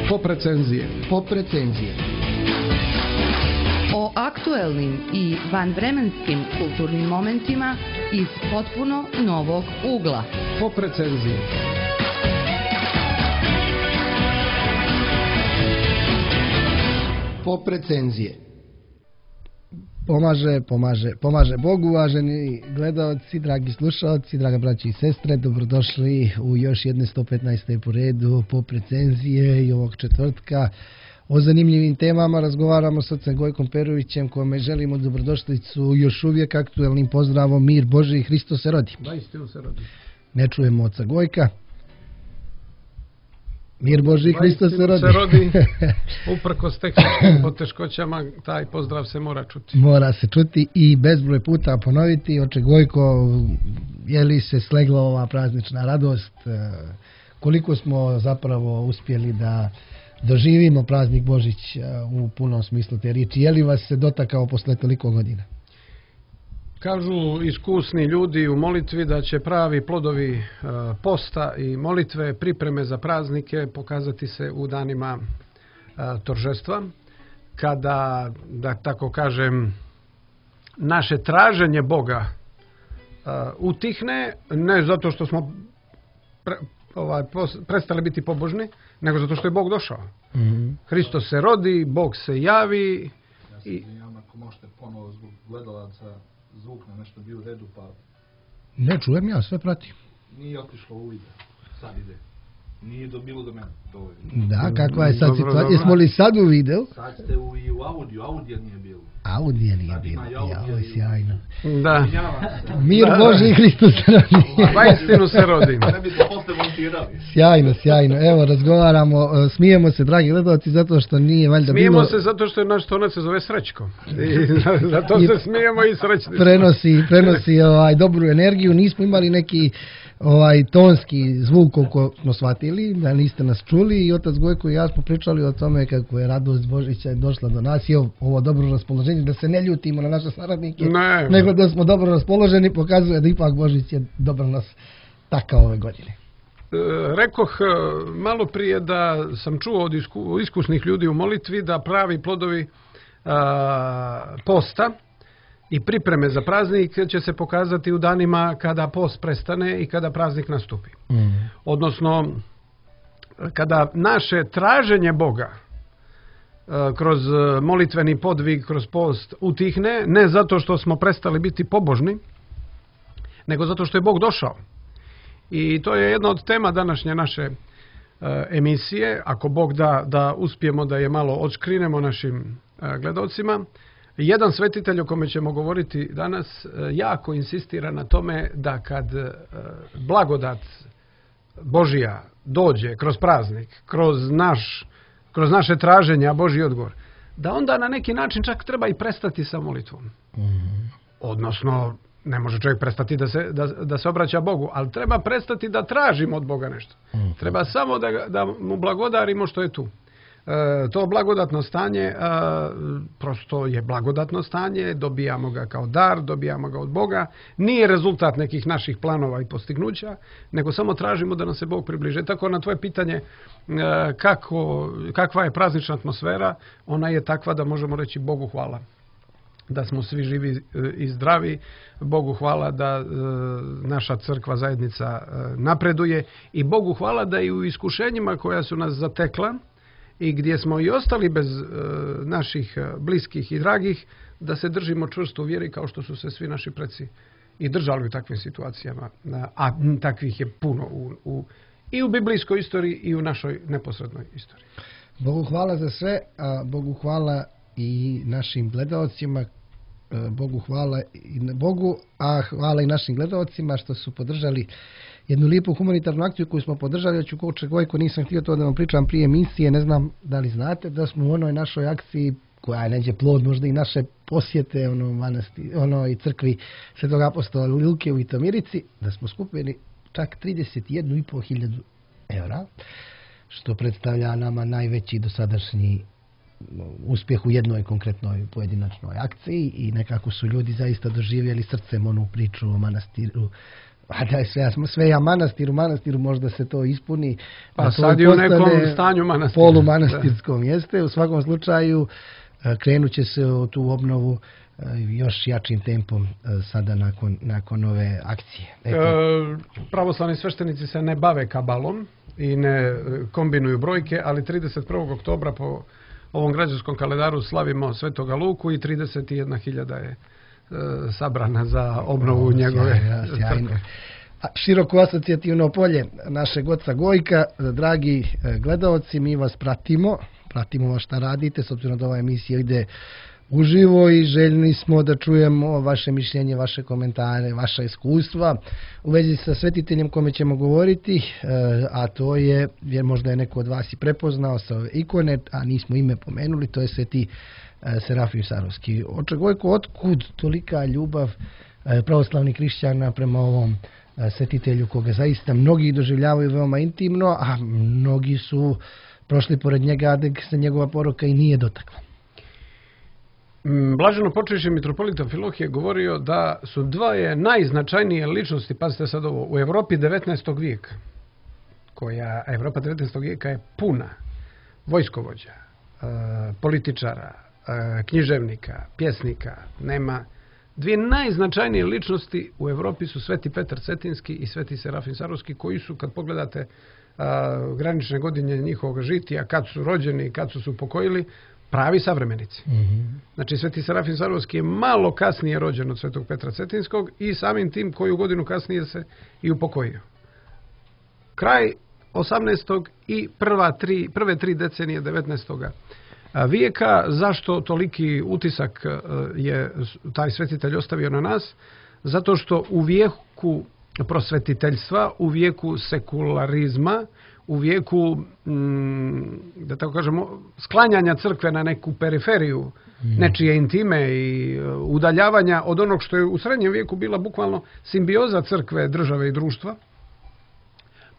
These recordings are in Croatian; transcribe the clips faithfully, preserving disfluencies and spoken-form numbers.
Pop recenzije. Pop recenzije. O aktuelnim i vanvremenskim kulturnim momentima iz potpuno novog ugla. Pop recenzije. Pop recenzije. Pomaže, pomaže, pomaže Bogu, uvaženi gledalci, dragi slušalci, draga braći i sestre, dobrodošli u još jedne sto petnaeste po redu Pop recenzije i ovog četvrtka. O zanimljivim temama razgovaramo s ocem Gojkom Perovićem, kome želimo dobrodošlicu još uvijek aktuelnim pozdravom Mir Božji, Hristos se rodi. Da, istinu se rodi. Ne čujemo oca Gojka. Mir Božji, Hristos se rodi. Se rodi. Uprkos tehničkim poteškoćama, taj pozdrav se mora čuti. Mora se čuti i bezbroj puta ponoviti. Oče Gojko, je li se slegla ova praznična radost? Koliko smo zapravo uspjeli da doživimo praznik Božić u punom smislu te riječi? Je li vas se dotakao posle toliko godina? Kažu iskusni ljudi u molitvi da će pravi plodovi posta i molitve, pripreme za praznike pokazati se u danima toržestva, kada, da tako kažem, naše traženje Boga utihne, ne zato što smo pre, ovaj, prestali biti pobožni, nego zato što je Bog došao. Mm-hmm. Hristos se rodi, Bog se javi. Ja se izvinjam, ako možete ponovo zbog gledalaca, zvuk na nešto bio u redu, pa... Ne čujem, ja sve pratim. Nije otišlo u video, sad ide. Nije do, bilo do mene, dovoljno. Da, kakva je sad situacija? Jesmo li sad u video? Sad ste u, i u audio, audio nije bilo. Audio nije bilo, jao, sjajno. Da. Mir da, Božji, Hristos se rodi. Vaistinu se rodi. Ne bi to posle montirali. Sjajno, sjajno. Evo, razgovaramo, smijemo se, dragi gledalci, zato što nije valjda smijemo bilo... Smijemo se zato što je naš tonac se zove Srećko. I zato se smijemo i srećni. Prenosi, prenosi ovaj, dobru energiju. Nismo imali neki ovaj tonski zvuk koliko smo shvatili, da niste nas čuli, i otac Gojko i ja smo pričali o tome kako je radost Božića došla do nas i ovo dobro raspoloženje, da se ne ljutimo na naše saradnike, ne, nego da smo dobro raspoloženi, pokazuje da ipak Božić je dobro nas takao ove godine. E, rekoh malo prije da sam čuo od isku, iskusnih ljudi u molitvi da pravi plodovi a, posta i pripreme za praznik će se pokazati u danima kada post prestane i kada praznik nastupi. Mm. Odnosno, kada naše traženje Boga kroz molitveni podvig, kroz post utihne, ne zato što smo prestali biti pobožni, nego zato što je Bog došao. I to je jedna od tema današnje naše emisije. Ako Bog da, da uspijemo da je malo odškrinemo našim gledalcima. Jedan svetitelj o kome ćemo govoriti danas jako insistira na tome da kad blagodat Božija dođe kroz praznik, kroz, naš, kroz naše traženje, a Božji odgovor, da onda na neki način čak treba i prestati sa molitvom. Mm-hmm. Odnosno, ne može čovjek prestati da se, da, da se obraća Bogu, ali treba prestati da tražimo od Boga nešto. Mm-hmm. Treba samo da, da mu blagodarimo što je tu. E, to blagodatno stanje e, prosto je blagodatno stanje, dobijamo ga kao dar, dobijamo ga od Boga, nije rezultat nekih naših planova i postignuća, nego samo tražimo da nam se Bog približe. Tako na tvoje pitanje e, kako, kakva je praznična atmosfera, ona je takva da možemo reći Bogu hvala. Da smo svi živi i zdravi, Bogu hvala da e, naša crkva zajednica e, napreduje i Bogu hvala da i u iskušenjima koja su nas zatekla i gdje smo i ostali bez e, naših bliskih i dragih, da se držimo čvrsto u vjeri kao što su se svi naši preci i držali u takvim situacijama. A takvih je puno u, u, i u biblijskoj istoriji i u našoj neposrednoj istoriji. Bogu hvala za sve, a Bogu hvala i našim gledalcima, Bogu hvala i Bogu, a hvala i našim gledalcima što su podržali jednu lijepu humanitarnu akciju koju smo podržali. Ja ću Oče Gojko, nisam htio to da vam pričam prije emisije, ne znam da li znate da smo u onoj našoj akciji, koja je neđe plod možda i naše posjete ono manasti, ono i crkvi Svetog apostola Lilke u Vitomirici, da smo skupili čak trideset jednu i pol hiljadu evra, što predstavlja nama najveći dosadašnji uspjeh u jednoj konkretnoj pojedinačnoj akciji, i nekako su ljudi zaista doživjeli srcem onu priču o manastiru A da, sve, sve ja manastir, u manastiru možda se to ispuni. Pa sad je u nekom stanju manastira. Polumanastirskom jeste. U svakom slučaju krenut će se u tu obnovu još jačim tempom sada nakon, nakon ove akcije. E, pravoslavni sveštenici se ne bave kabalom i ne kombinuju brojke, ali trideset prvog oktobra po ovom građanskom kalendaru slavimo Svetoga Luku i trideset jedna hiljada je e, sabrana za obnovu o, njegove crkve. Široko asocijativno polje našeg oca Gojka. Dragi gledaoci, mi vas pratimo, pratimo vas šta radite, s obzirom da ova emisija ide uživo i željni smo da čujemo vaše mišljenje, vaše komentare, vaša iskustva u vezi sa svetiteljem kome ćemo govoriti, a to je, jer možda je neko od vas i prepoznao sa ove ikone, a nismo ime pomenuli, to je sveti Serafim Sarovski. Oče Gojko, otkud tolika ljubav pravoslavnih hrišćana prema ovom svetitelju koga zaista mnogi doživljavaju veoma intimno, a mnogi su prošli pored njega, da se njegova poroka i nije dotakla? Blaženo počivši mitropolita Amfilohije govorio da su dvoje najznačajnije ličnosti, pazite sad ovo, u Evropi devetnaestog vijeka, koja Evropa devetnaestog vijeka je puna vojskovođa, političara, književnika, pjesnika, nema. Dvije najznačajnije ličnosti u Evropi su Sveti Petar Cetinski i Sveti Serafim Sarovski, koji su, kad pogledate a, granične godine njihovog žitija, kad su rođeni i kad su se upokojili, pravi savremenici. Mm-hmm. Znači, Sveti Serafim Sarovski je malo kasnije rođen od Svetog Petra Cetinskog i samim tim koju godinu kasnije se i upokojio. Kraj osamnaestog i prva tri, prve tri decenije devetnaestog vijeka. Zašto toliki utisak je taj svetitelj ostavio na nas? Zato što u vijeku prosvetiteljstva, u vijeku sekularizma, u vijeku, da tako kažemo, sklanjanja crkve na neku periferiju, nečije intime i udaljavanja od onog što je u srednjem vijeku bila bukvalno simbioza crkve, države i društva,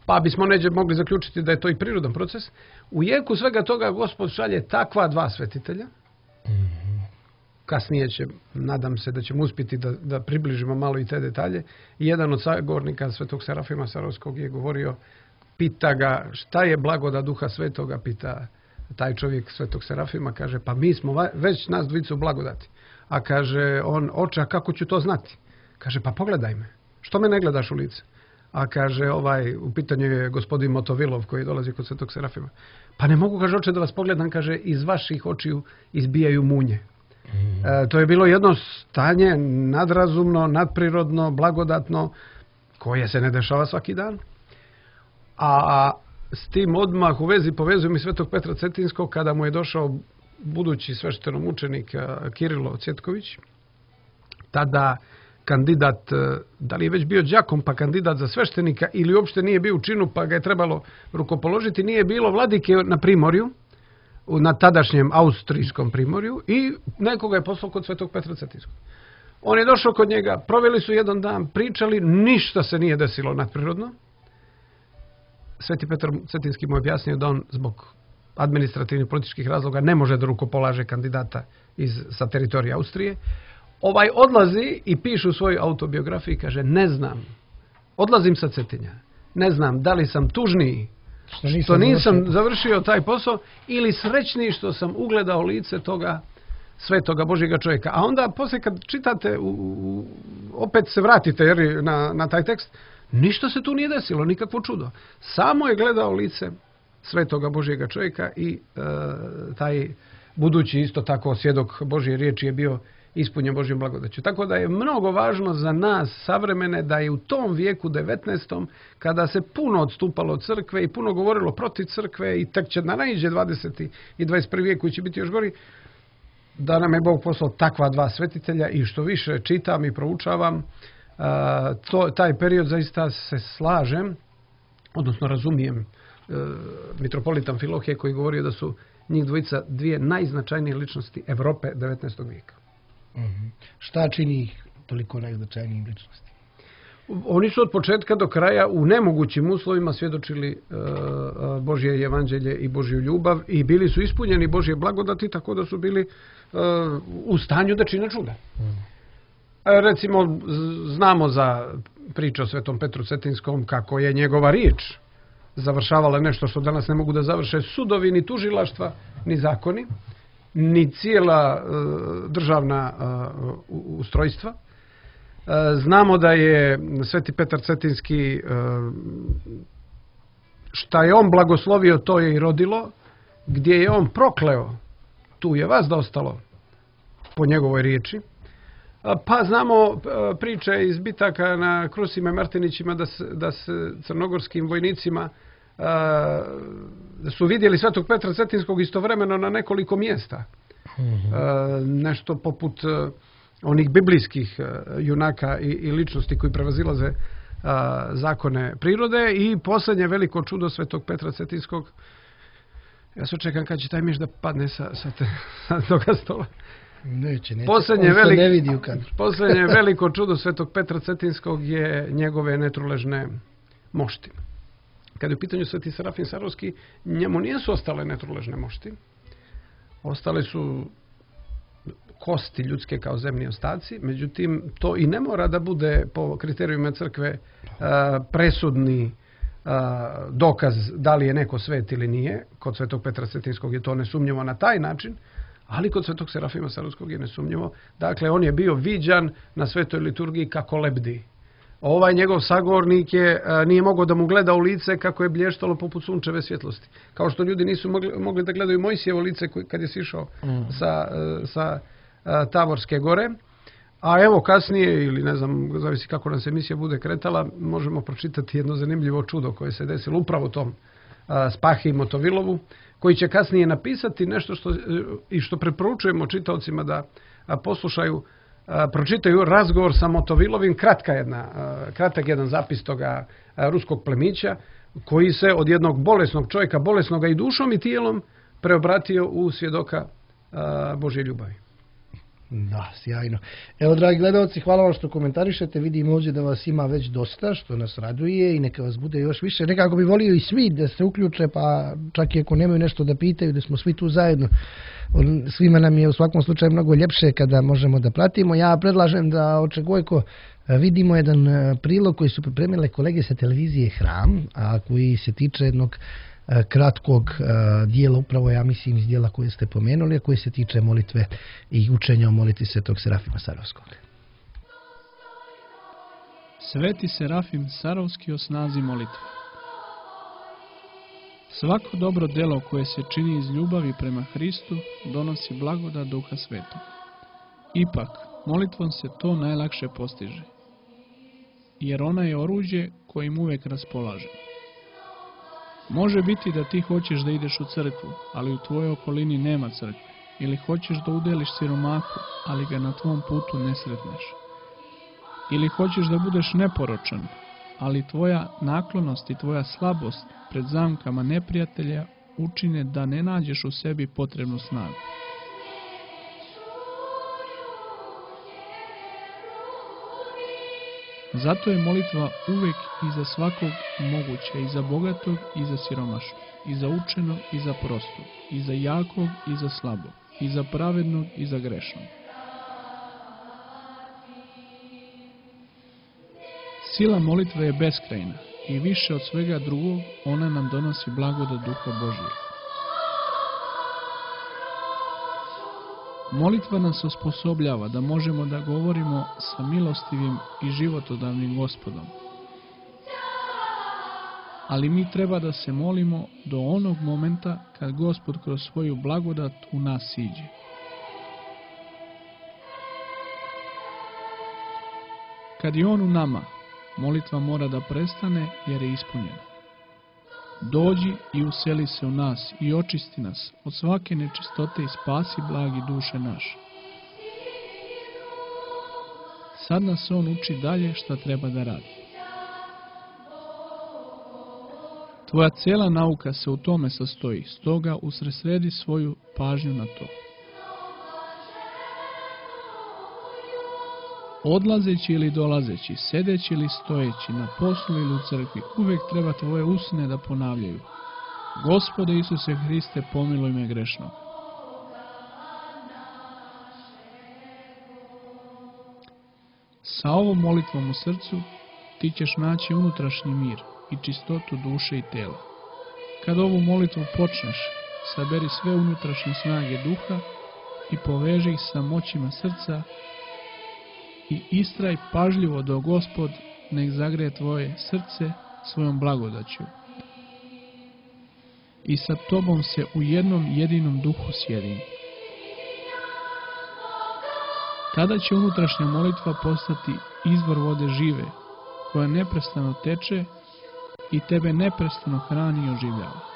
pa bismo neđe mogli zaključiti da je to i prirodan proces. U jeku svega toga Gospod šalje takva dva svetitelja. Kasnije će, nadam se da ćemo uspjeti da, da približimo malo i te detalje. I jedan od sagovornika Svetog Serafima Sarovskog je govorio, pita ga šta je blagodat Duha Svetoga, pita taj čovjek Svetog Serafima, kaže pa mi smo već nas dvojicu blagodati. A kaže on, oče, a kako ću to znati? Kaže pa pogledaj me, što me ne gledaš u lice? A kaže, ovaj, u pitanju je gospodin Motovilov koji dolazi kod Svetog Serafima. Pa ne mogu, kaže, oče, da vas pogledam, kaže, iz vaših očiju izbijaju munje. Mm. E, to je bilo jedno stanje nadrazumno, nadprirodno, blagodatno, koje se ne dešava svaki dan. A s tim odmah u vezi povezujem i Svetog Petra Cetinskog kada mu je došao budući sveštenomučenik Kirilo Cjetković, tada kandidat, da li je već bio đakom pa kandidat za sveštenika ili uopšte nije bio u činu pa ga je trebalo rukopoložiti, nije bilo vladike na primorju, na tadašnjem austrijskom primorju i nekoga je poslao kod Svetog Petra Cetinskog. On je došao kod njega, proveli su jedan dan, pričali, ništa se nije desilo nadprirodno. Sveti Petar Cetinski mu je objasnio da on zbog administrativnih političkih razloga ne može da rukopolaže kandidata iz, sa teritorija Austrije. Ovaj odlazi i piše u svojoj autobiografiji, kaže, ne znam, odlazim sa Cetinja, ne znam da li sam tužniji što nisam, što nisam završio. završio taj posao ili srećniji što sam ugledao lice toga svetoga Božjega čovjeka. A onda poslije kad čitate, u, u, opet se vratite jer, na, na taj tekst, ništa se tu nije desilo, nikakvo čudo. Samo je gledao lice svetoga Božjega čovjeka i e, taj budući isto tako svjedok Božje riječi je bio ispunjen Božjom blagodaću. Tako da je mnogo važno za nas savremene da je u tom vijeku devetnaestom kada se puno odstupalo od crkve i puno govorilo protiv crkve i tek će na naiđe dvadeseti i dvadeset prvi vijek koji će biti još gori, da nam je Bog poslao takva dva svetitelja i što više čitam i proučavam, to, taj period zaista se slažem, odnosno razumijem e, mitropolita Amfilohije koji govorio da su njih dvojica dvije najznačajnije ličnosti Evrope devetnaestog vijeka. Mm-hmm. Šta čini ih toliko najznačajnijim ličnosti? Oni su od početka do kraja u nemogućim uslovima svjedočili e, Božje evanđelje i Božju ljubav i bili su ispunjeni Božje blagodati, tako da su bili e, u stanju da čine čuda. Mm. Recimo, znamo za priča o Svetom Petru Cetinskom, kako je njegova riječ završavala nešto što danas ne mogu da završe sudovi, ni tužilaštva, ni zakoni, ni cijela državna ustrojstva. Znamo da je Sveti Petar Cetinski, šta je on blagoslovio, to je i rodilo, gdje je on prokleo, tu je vas dostalo, po njegovoj riječi. Pa znamo priče iz bitaka na Krusima i Martinićima da se, da se crnogorskim vojnicima da su vidjeli Svetog Petra Cetinskog istovremeno na nekoliko mjesta. Mm-hmm. Nešto poput onih biblijskih junaka i, i ličnosti koji prevazilaze zakone prirode. I posljednje veliko čudo Svetog Petra Cetinskog, ja se čekam kad će taj miš da padne sa, sa, te, sa toga stola. Neće, neće. Posljednje, On velik, se ne vidi u kadru. posljednje veliko čudo Svetog Petra Cetinskog je njegove netruležne mošti. Kad je u pitanju Sveti Serafim Sarovski, njemu nisu ostale netruležne mošti. Ostale su kosti ljudske kao zemni ostaci, međutim to i ne mora da bude po kriterijima crkve presudni dokaz da li je neko svet ili nije. Kod Svetog Petra Cetinskog je to nesumnjivo na taj način, ali kod Svetog Serafima Sarovskog je nesumnjivo. Dakle, on je bio viđan na svetoj liturgiji kako lebdi. Ovaj njegov sagovornik je, nije mogao da mu gleda u lice kako je blještalo poput sunčeve svjetlosti. Kao što ljudi nisu mogli, mogli da gledaju Mojsijevo lice kad je sišao mm. sa, sa Tavorske gore. A evo kasnije, ili ne znam, zavisi kako nam se emisija bude kretala, možemo pročitati jedno zanimljivo čudo koje se desilo upravo tom Spahi i Motovilovu, koji će kasnije napisati nešto što, i što preporučujemo čitaocima da poslušaju, pročitaju razgovor sa Motovilovim, kratka jedna, kratak jedan zapis toga ruskog plemića, koji se od jednog bolesnog čovjeka, bolesnoga i dušom i tijelom, preobratio u svjedoka Božje ljubavi. Da, sjajno. Evo, dragi gledalci, hvala vam što komentarišete. Vidim ovdje da vas ima već dosta, što nas raduje, i neka vas bude još više. Nekako bi volio i svi da se uključe, pa čak i ako nemaju nešto da pitaju, da smo svi tu zajedno. Svima nam je u svakom slučaju mnogo ljepše kada možemo da pratimo. Ja predlažem da očegojko vidimo jedan prilog koji su pripremile kolege sa televizije Hram, a koji se tiče jednog kratkog dijela, upravo ja mislim iz dijela koje ste pomenuli, a koji se tiče molitve i učenja o molitvi Svetog Serafima Sarovskog. Sveti Serafim Sarovski o snazi molitve. Svako dobro delo koje se čini iz ljubavi prema Hristu donosi blagodat Duha Svetog. Ipak, molitvom se to najlakše postiže, jer ona je oruđe kojim uvijek raspolažemo. Može biti da ti hoćeš da ideš u crkvu, ali u tvojoj okolini nema crkve. Ili hoćeš da udeliš siromahu, ali ga na tvom putu ne sretneš. Ili hoćeš da budeš neporočan, ali tvoja naklonost i tvoja slabost pred zamkama neprijatelja učine da ne nađeš u sebi potrebnu snagu. Zato je molitva uvijek i za svakog moguća, i za bogatog, i za siromašnog, i za učenog, i za prostog, i za jakog, i za slabog, i za pravednog, i za grešnog. Sila molitve je beskrajna i više od svega drugog ona nam donosi blagodat Duha Božjeg. Molitva nas osposobljava da možemo da govorimo sa milostivim i životodavnim Gospodom. Ali mi treba da se molimo do onog momenta kad Gospod kroz svoju blagodat u nas siđe. Kad je On u nama, molitva mora da prestane jer je ispunjena. Dođi i useli se u nas i očisti nas od svake nečistote i spasi blagi duše naše. Sad nas On uči dalje šta treba da radi. Tvoja cijela nauka se u tome sastoji, stoga usredsredi svoju pažnju na to. Odlazeći ili dolazeći, sedeći ili stojeći, na poslu ili u crkvi, uvijek treba tvoje usne da ponavljaju: Gospode Isuse Hriste, pomiluj me grešnog. Sa ovom molitvom u srcu ti ćeš naći unutrašnji mir i čistotu duše i tela. Kad ovu molitvu počneš, saberi sve unutrašnje snage duha i poveži ih sa moćima srca i istraj pažljivo do Gospod nek zagreje tvoje srce svojom blagodaću. I sa tobom se u jednom jedinom duhu sjedini. Tada će unutrašnja molitva postati izvor vode žive, koja neprestano teče i tebe neprestano hrani i oživljava.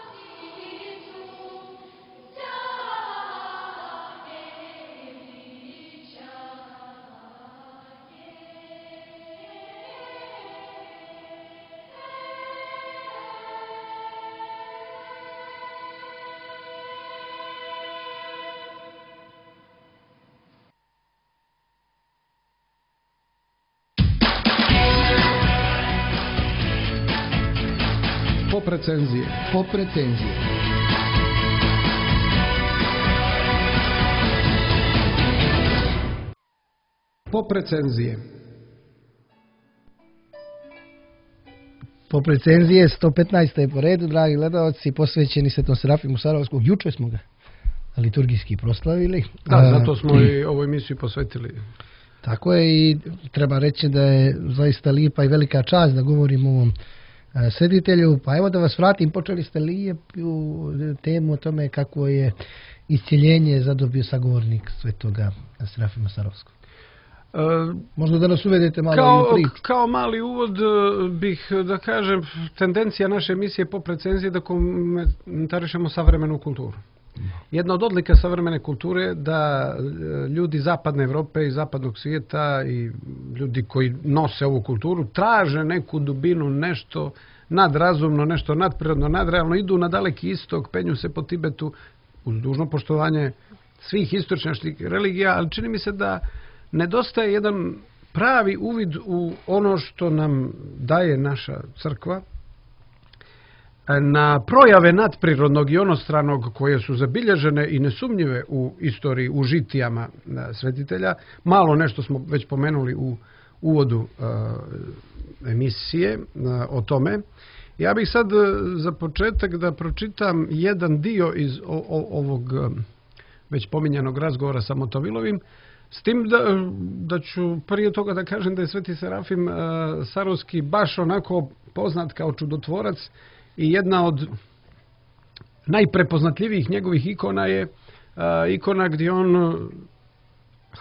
Pop recenzije. Pop recenzije. Pop recenzije. Pop recenzije sto petnaesta je po redu, dragi gledalci, posvećeni Svetom Serafimu Sarovskom. Juče smo ga liturgijski proslavili. Da, zato smo i ovu emisiju posvetili. Tako je, i treba reći da je zaista lijepa i velika čast da govorimo o ovom sreditelju. Pa evo da vas vratim, počeli ste lijepu temu o tome kako je iscjeljenje zadobio sagovornik Svetoga Serafima Sarovskog. E, Možda da nas uvedete malo kao, u priču. Kao mali uvod bih da kažem, tendencija naše emisije Pop recenzije da komentarišemo savremenu kulturu. Jedna od odlika savremene kulture je da ljudi zapadne Evrope i zapadnog svijeta i ljudi koji nose ovu kulturu traže neku dubinu, nešto nadrazumno, nešto nadprirodno, nadrealno, idu na daleki istok, penju se po Tibetu uz dužno poštovanje svih istočnjačkih religija, ali čini mi se da nedostaje jedan pravi uvid u ono što nam daje naša crkva, na projave nadprirodnog i onostranog koje su zabilježene i nesumnjive u istoriji, u žitijama svetitelja. Malo nešto smo već pomenuli u uvodu uh, emisije uh, o tome. Ja bih sad uh, za početak da pročitam jedan dio iz o, o, ovog uh, već pominjanog razgovora sa Motovilovim, s tim da, da ću prije toga da kažem da je Sveti Serafim uh, Sarovski baš onako poznat kao čudotvorac. I jedna od najprepoznatljivijih njegovih ikona je a, ikona gdje on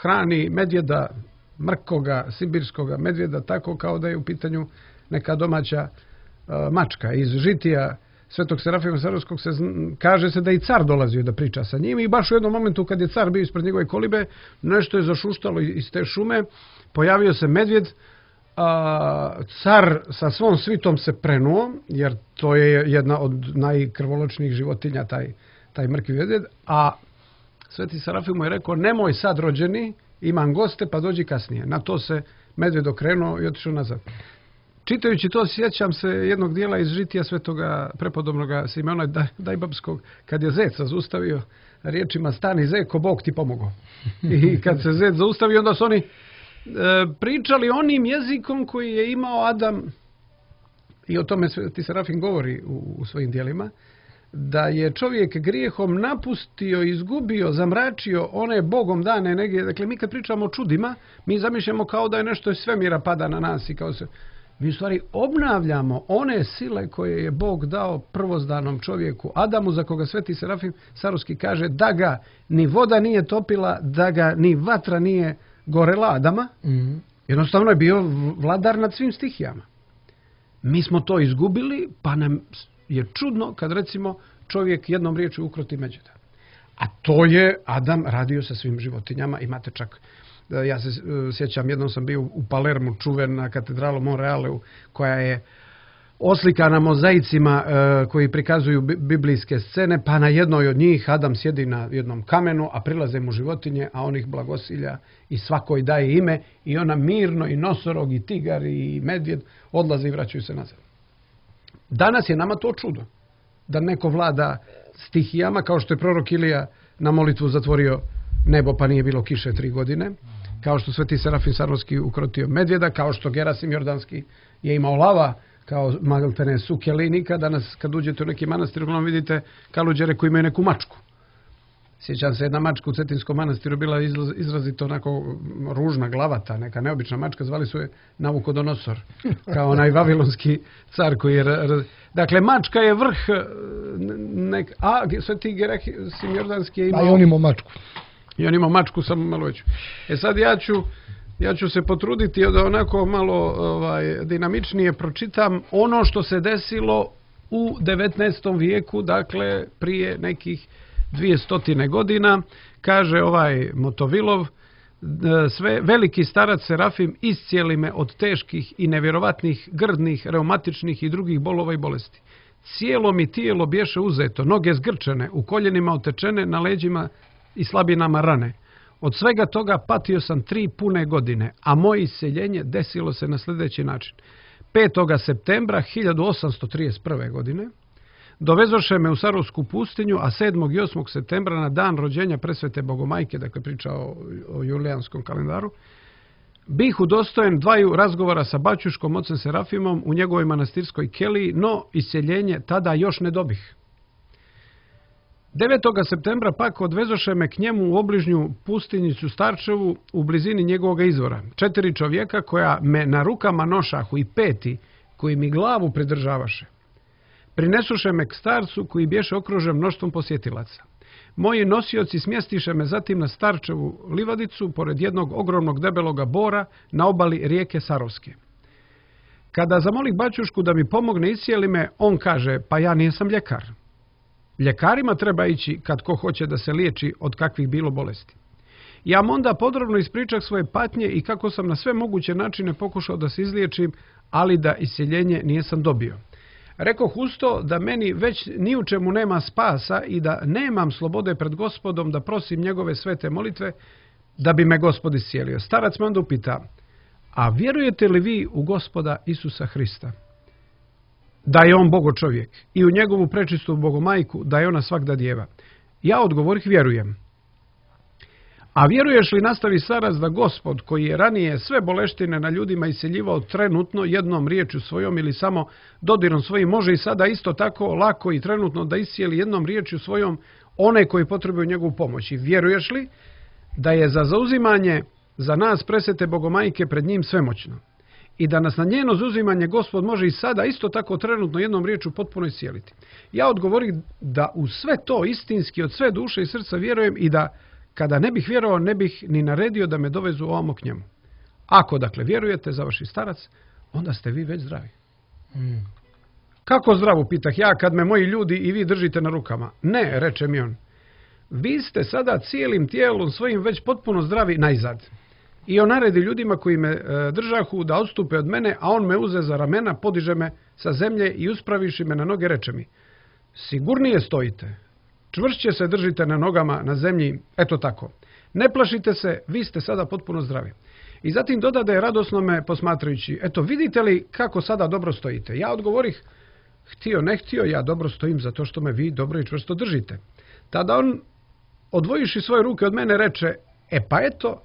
hrani medvjeda, mrkoga, sibirskoga medvjeda, tako kao da je u pitanju neka domaća a, mačka. Iz žitija Svetog Serafima Sarovskog se kaže se da i car dolazio da priča sa njim i baš u jednom momentu kad je car bio ispred njegove kolibe, nešto je zašuštalo iz te šume, pojavio se medvjed. A, car sa svom svitom se prenuo, jer to je jedna od najkrvoločnijih životinja, taj, taj mrkvi medvjed, a Sveti Serafim mu je rekao, nemoj sad rođeni, imam goste, pa dođi kasnije. Na to se medvjed okrenuo i otišao nazad. Čitajući to, sjećam se jednog dijela iz žitija Svetoga prepodobnoga Simeona Dajbabskog, kad je zeca zaustavio riječima, stani zeko, Bog ti pomogao. I kad se zec zaustavio, onda su oni pričali onim jezikom koji je imao Adam, i o tome Sveti Serafim govori u, u svojim dijelima, da je čovjek grijehom napustio, izgubio, zamračio one Bogom dane energije. Dakle, mi kad pričamo o čudima, mi zamišljamo kao da je nešto iz svemira pada na nas i kao se... Mi u stvari obnavljamo one sile koje je Bog dao prvozdanom čovjeku Adamu, za koga Sveti Serafim Sarovski kaže da ga ni voda nije topila, da ga ni vatra nije gorela Adama. Mm-hmm. Jednostavno je bio vladar nad svim stihijama. Mi smo to izgubili, pa nam je čudno kad recimo čovjek jednom riječju ukroti medvjeda. A to je Adam radio sa svim životinjama. Imate čak, ja se sjećam, jednom sam bio u Palermu, čuvena katedrala Monrealeu, koja je oslikana mozaicima e, koji prikazuju biblijske scene, pa na jednoj od njih Adam sjedi na jednom kamenu, a prilaze mu životinje, a on ih blagosilja i svakoj daje ime, i ona mirno, i nosorog, i tigar, i medvjed odlaze i vraćaju se nazad. Danas je nama to čudo, da neko vlada stihijama, kao što je prorok Ilija na molitvu zatvorio nebo pa nije bilo kiše tri godine, kao što Sveti Serafim Sarovski ukrotio medvjeda, kao što Gerasim Jordanski je imao lava, kao maltene sukjelinika. Danas kad uđete u neki manastir, uglavnom vidite kaluđere koji imaju neku mačku. Sjećam se, jedna mačka u Cetinskom manastiru bila izrazito onako ružna, glavata, neka neobična mačka, zvali su je Navukodonosor, kao onaj vavilonski car koji je... Dakle, mačka je vrh... Nek, a Sveti Gerasim Jordanski je imao... A i on imao mačku. I on imao mačku, samo malo veću. E sad ja ću, ja ću se potruditi da onako malo ovaj, dinamičnije pročitam ono što se desilo u devetnaestom vijeku, dakle prije nekih dvije godina. Kaže ovaj Motovilov, sve veliki starac Serafim iscijeli me od teških i nevjerovatnih grdnih, reumatičnih i drugih bolova i bolesti. Cijelo mi tijelo bješe uzeto, noge zgrčene, u koljenima otečene, na leđima i slabinama rane. Od svega toga patio sam tri pune godine, a moje iseljenje desilo se na sljedeći način. petog septembra hiljadu osamsto trideset prve. godine dovezoše me u Sarovsku pustinju, a sedmog i osmog septembra na dan rođenja presvete Bogomajke, dakle priča o, o julijanskom kalendaru, bih udostojen dvaju razgovora sa baćuškom ocem Serafimom u njegovoj manastirskoj keliji, no iseljenje tada još ne dobih. devetog septembra pak odvezoše me k njemu u obližnju pustinjicu Starčevu u blizini njegovog izvora. Četiri čovjeka koja me na rukama nošahu i peti koji mi glavu pridržavaše. Prinesuše me k starcu koji bješe okružen mnoštvom posjetilaca. Moji nosioci smjestiše me zatim na Starčevu livadicu pored jednog ogromnog debeloga bora na obali rijeke Sarovske. Kada zamolih baćušku da mi pomogne iscijeli me, on kaže, pa ja nisam ljekar. Ljekarima treba ići kad ko hoće da se liječi od kakvih bilo bolesti. Ja mu onda podrobno ispričah svoje patnje i kako sam na sve moguće načine pokušao da se izliječim, ali da isceljenje nijesam dobio. Rekoh usto da meni već ni u čemu nema spasa i da nemam slobode pred Gospodom da prosim njegove svete molitve da bi me Gospod iscijelio. Starac me onda upita, a vjerujete li vi u Gospoda Isusa Hrista? Da je on Bogo čovjek i u njegovu prečistu Bogomajku, da je ona svakda djeva. Ja odgovorih, vjerujem. A vjeruješ li, nastavi starac, da Gospod, koji je ranije sve boleštine na ljudima iseljivao trenutno jednom riječju svojom ili samo dodirom svojim, može i sada isto tako lako i trenutno da iscijeli jednom riječju svojom one koji potrebuju njegovu pomoć? I vjeruješ li da je za zauzimanje za nas presvete Bogomajke pred njim svemoćno i da nas na njeno zauzimanje Gospod može i sada isto tako trenutno jednom riječju potpuno iscijeliti? Ja odgovorih da u sve to istinski od sve duše i srca vjerujem i da kada ne bih vjerovao, ne bih ni naredio da me dovezu ovamo k njemu. Ako, dakle, vjerujete, završi starac, onda ste vi već zdravi. Mm. Kako zdravu, pitah ja, kad me moji ljudi i vi držite na rukama? Ne, reče mi on. Vi ste sada cijelim tijelom svojim već potpuno zdravi najzad. I on naredi ljudima koji me e, držahu da odstupe od mene, a on me uze za ramena, podiže me sa zemlje i uspraviši me na noge, reče mi, sigurnije stojite. Čvršće se držite na nogama na zemlji, eto tako. Ne plašite se, vi ste sada potpuno zdravi. I zatim dodade radosno me posmatrajući, eto vidite li kako sada dobro stojite? Ja odgovorih, htio ne htio, ja dobro stojim zato što me vi dobro i čvrsto držite. Tada on, odvojiši svoje ruke od mene, reče, e pa eto,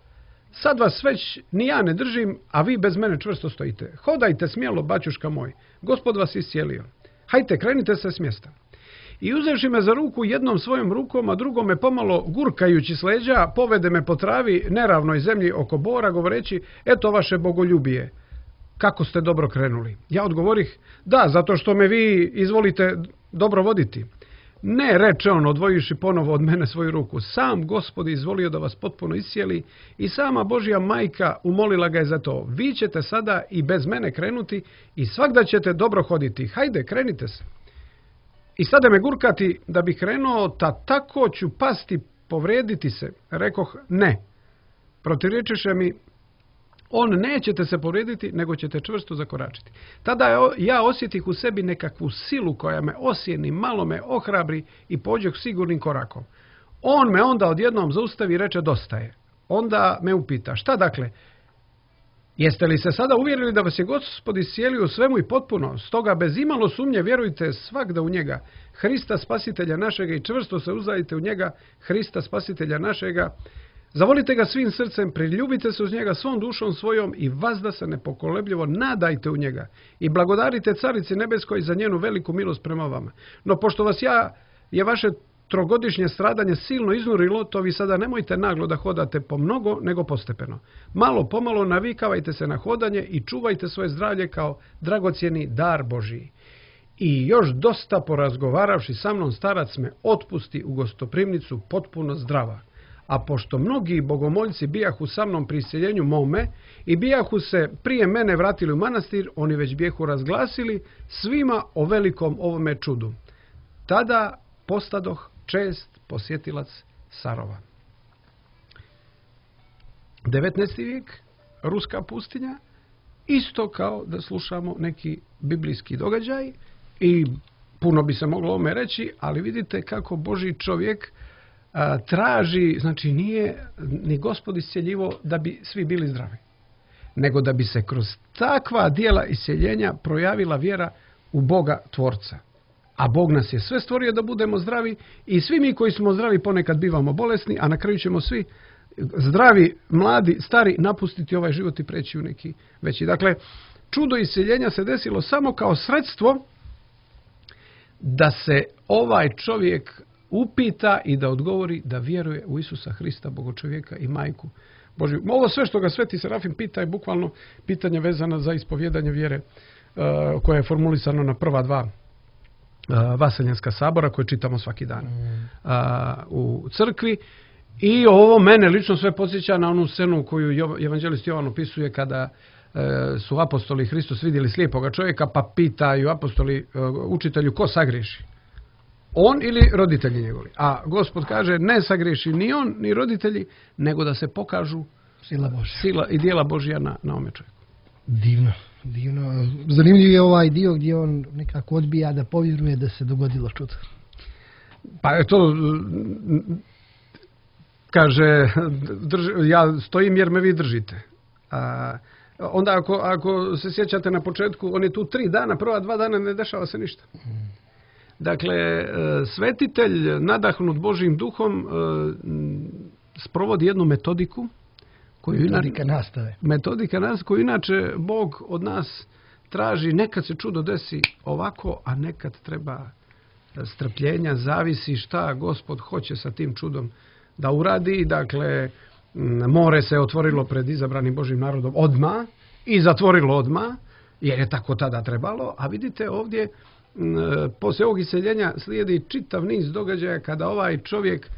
sad vas već ni ja ne držim, a vi bez mene čvrsto stojite. Hodajte smjelo, baćuška moj, Gospod vas iscijelio. Hajte, krenite se s mjesta. I uzevši me za ruku jednom svojom rukom, a drugom me pomalo gurkajući s leđa, povede me po travi neravnoj zemlji oko bora, govoreći, eto vaše bogoljubije, kako ste dobro krenuli. Ja odgovorih, da, zato što me vi izvolite dobro voditi. Ne, reče on, odvojiši ponovo od mene svoju ruku, sam Gospod izvolio da vas potpuno iscijeli i sama Božja majka umolila ga je za to. Vi ćete sada i bez mene krenuti i svakda ćete dobro hoditi. Hajde, krenite se. I sada me gurkati da bih krenuo, ta tako ću pasti, povrijediti se. Rekoh, ne. Protivrečiše mi, on nećete se povrijediti, nego ćete čvrsto zakoračiti. Tada ja osjetih u sebi nekakvu silu koja me osjeni, malo me ohrabri i pođeh sigurnim korakom. On me onda odjednom zaustavi i reče, dosta je. Onda me upita, šta dakle? Jeste li se sada uvjerili da vas je Gospod iscijelio u svemu i potpuno? Stoga bez imalo sumnje vjerujte svakda u njega, Hrista spasitelja našega, i čvrsto se uzdajte u njega, Hrista spasitelja našega, Zavolite ga svim srcem, priljubite se uz njega svom dušom svojom i vazda se nepokolebljivo nadajte u njega i blagodarite Carici nebeskoj za njenu veliku milost prema vama. No pošto vas ja je vaše trogodišnje stradanje silno iznurilo, to vi sada nemojte naglo da hodate po mnogo, nego postepeno. Malo pomalo navikavajte se na hodanje i čuvajte svoje zdravlje kao dragocjeni dar Božiji. I još dosta porazgovaravši sa mnom, starac me otpusti u gostoprimnicu potpuno zdrava. A pošto mnogi bogomoljci bijahu sa mnom pri iseljenju mome i bijahu se prije mene vratili u manastir, oni već bijahu razglasili svima o velikom ovome čudu. Tada postadoh čest posjetilac Sarova. devetnaesti vijek, ruska pustinja, isto kao da slušamo neki biblijski događaj i puno bi se moglo ome reći, ali vidite kako Božji čovjek a, traži, znači nije ni Gospod isceljivo da bi svi bili zdravi, nego da bi se kroz takva dijela isceljenja projavila vjera u Boga Tvorca. A Bog nas je sve stvorio da budemo zdravi i svi mi koji smo zdravi ponekad bivamo bolesni, a na kraju ćemo svi zdravi, mladi, stari napustiti ovaj život i preći u neki veći. Dakle, čudo isceljenja se desilo samo kao sredstvo da se ovaj čovjek upita i da odgovori da vjeruje u Isusa Hrista, Bogočovjeka i Majku Božju. Ovo sve što ga Sveti Serafim pita je bukvalno pitanje vezano za ispovjedanje vjere uh, koje je formulisano na prva dva uh, Vaseljenska sabora koje čitamo svaki dan uh, u crkvi. I ovo mene lično sve podsjeća na onu scenu koju evanđelist Jovan opisuje kada e, su apostoli Hristos vidjeli slijepoga čovjeka pa pitaju apostoli e, učitelju ko sagriješi? On ili roditelji njegovi? A Gospod kaže ne sagriješi ni on ni roditelji, nego da se pokažu sila Božja. Sila i djela Božja na, na ome čovjeku. Divno, divno. Zanimljiv je ovaj dio gdje on nekako odbija da povjeruje da se dogodilo čudo. Pa je to... Kaže, drž, ja stojim jer me vi držite. A, onda ako, ako se sjećate na početku, on je tu tri dana, prva dva dana ne dešava se ništa. Dakle, svetitelj nadahnut Božjim duhom sprovodi jednu metodiku koju metodika nastave. Metodika nastave koju inače Bog od nas traži. Nekad se čudo desi ovako, a nekad treba strpljenja, zavisi šta Gospod hoće sa tim čudom da uradi. Dakle, more se otvorilo pred izabranim Božjim narodom odmah i zatvorilo odmah, jer je tako tada trebalo. A vidite ovdje, poslije ovog iseljenja slijedi čitav niz događaja kada ovaj čovjek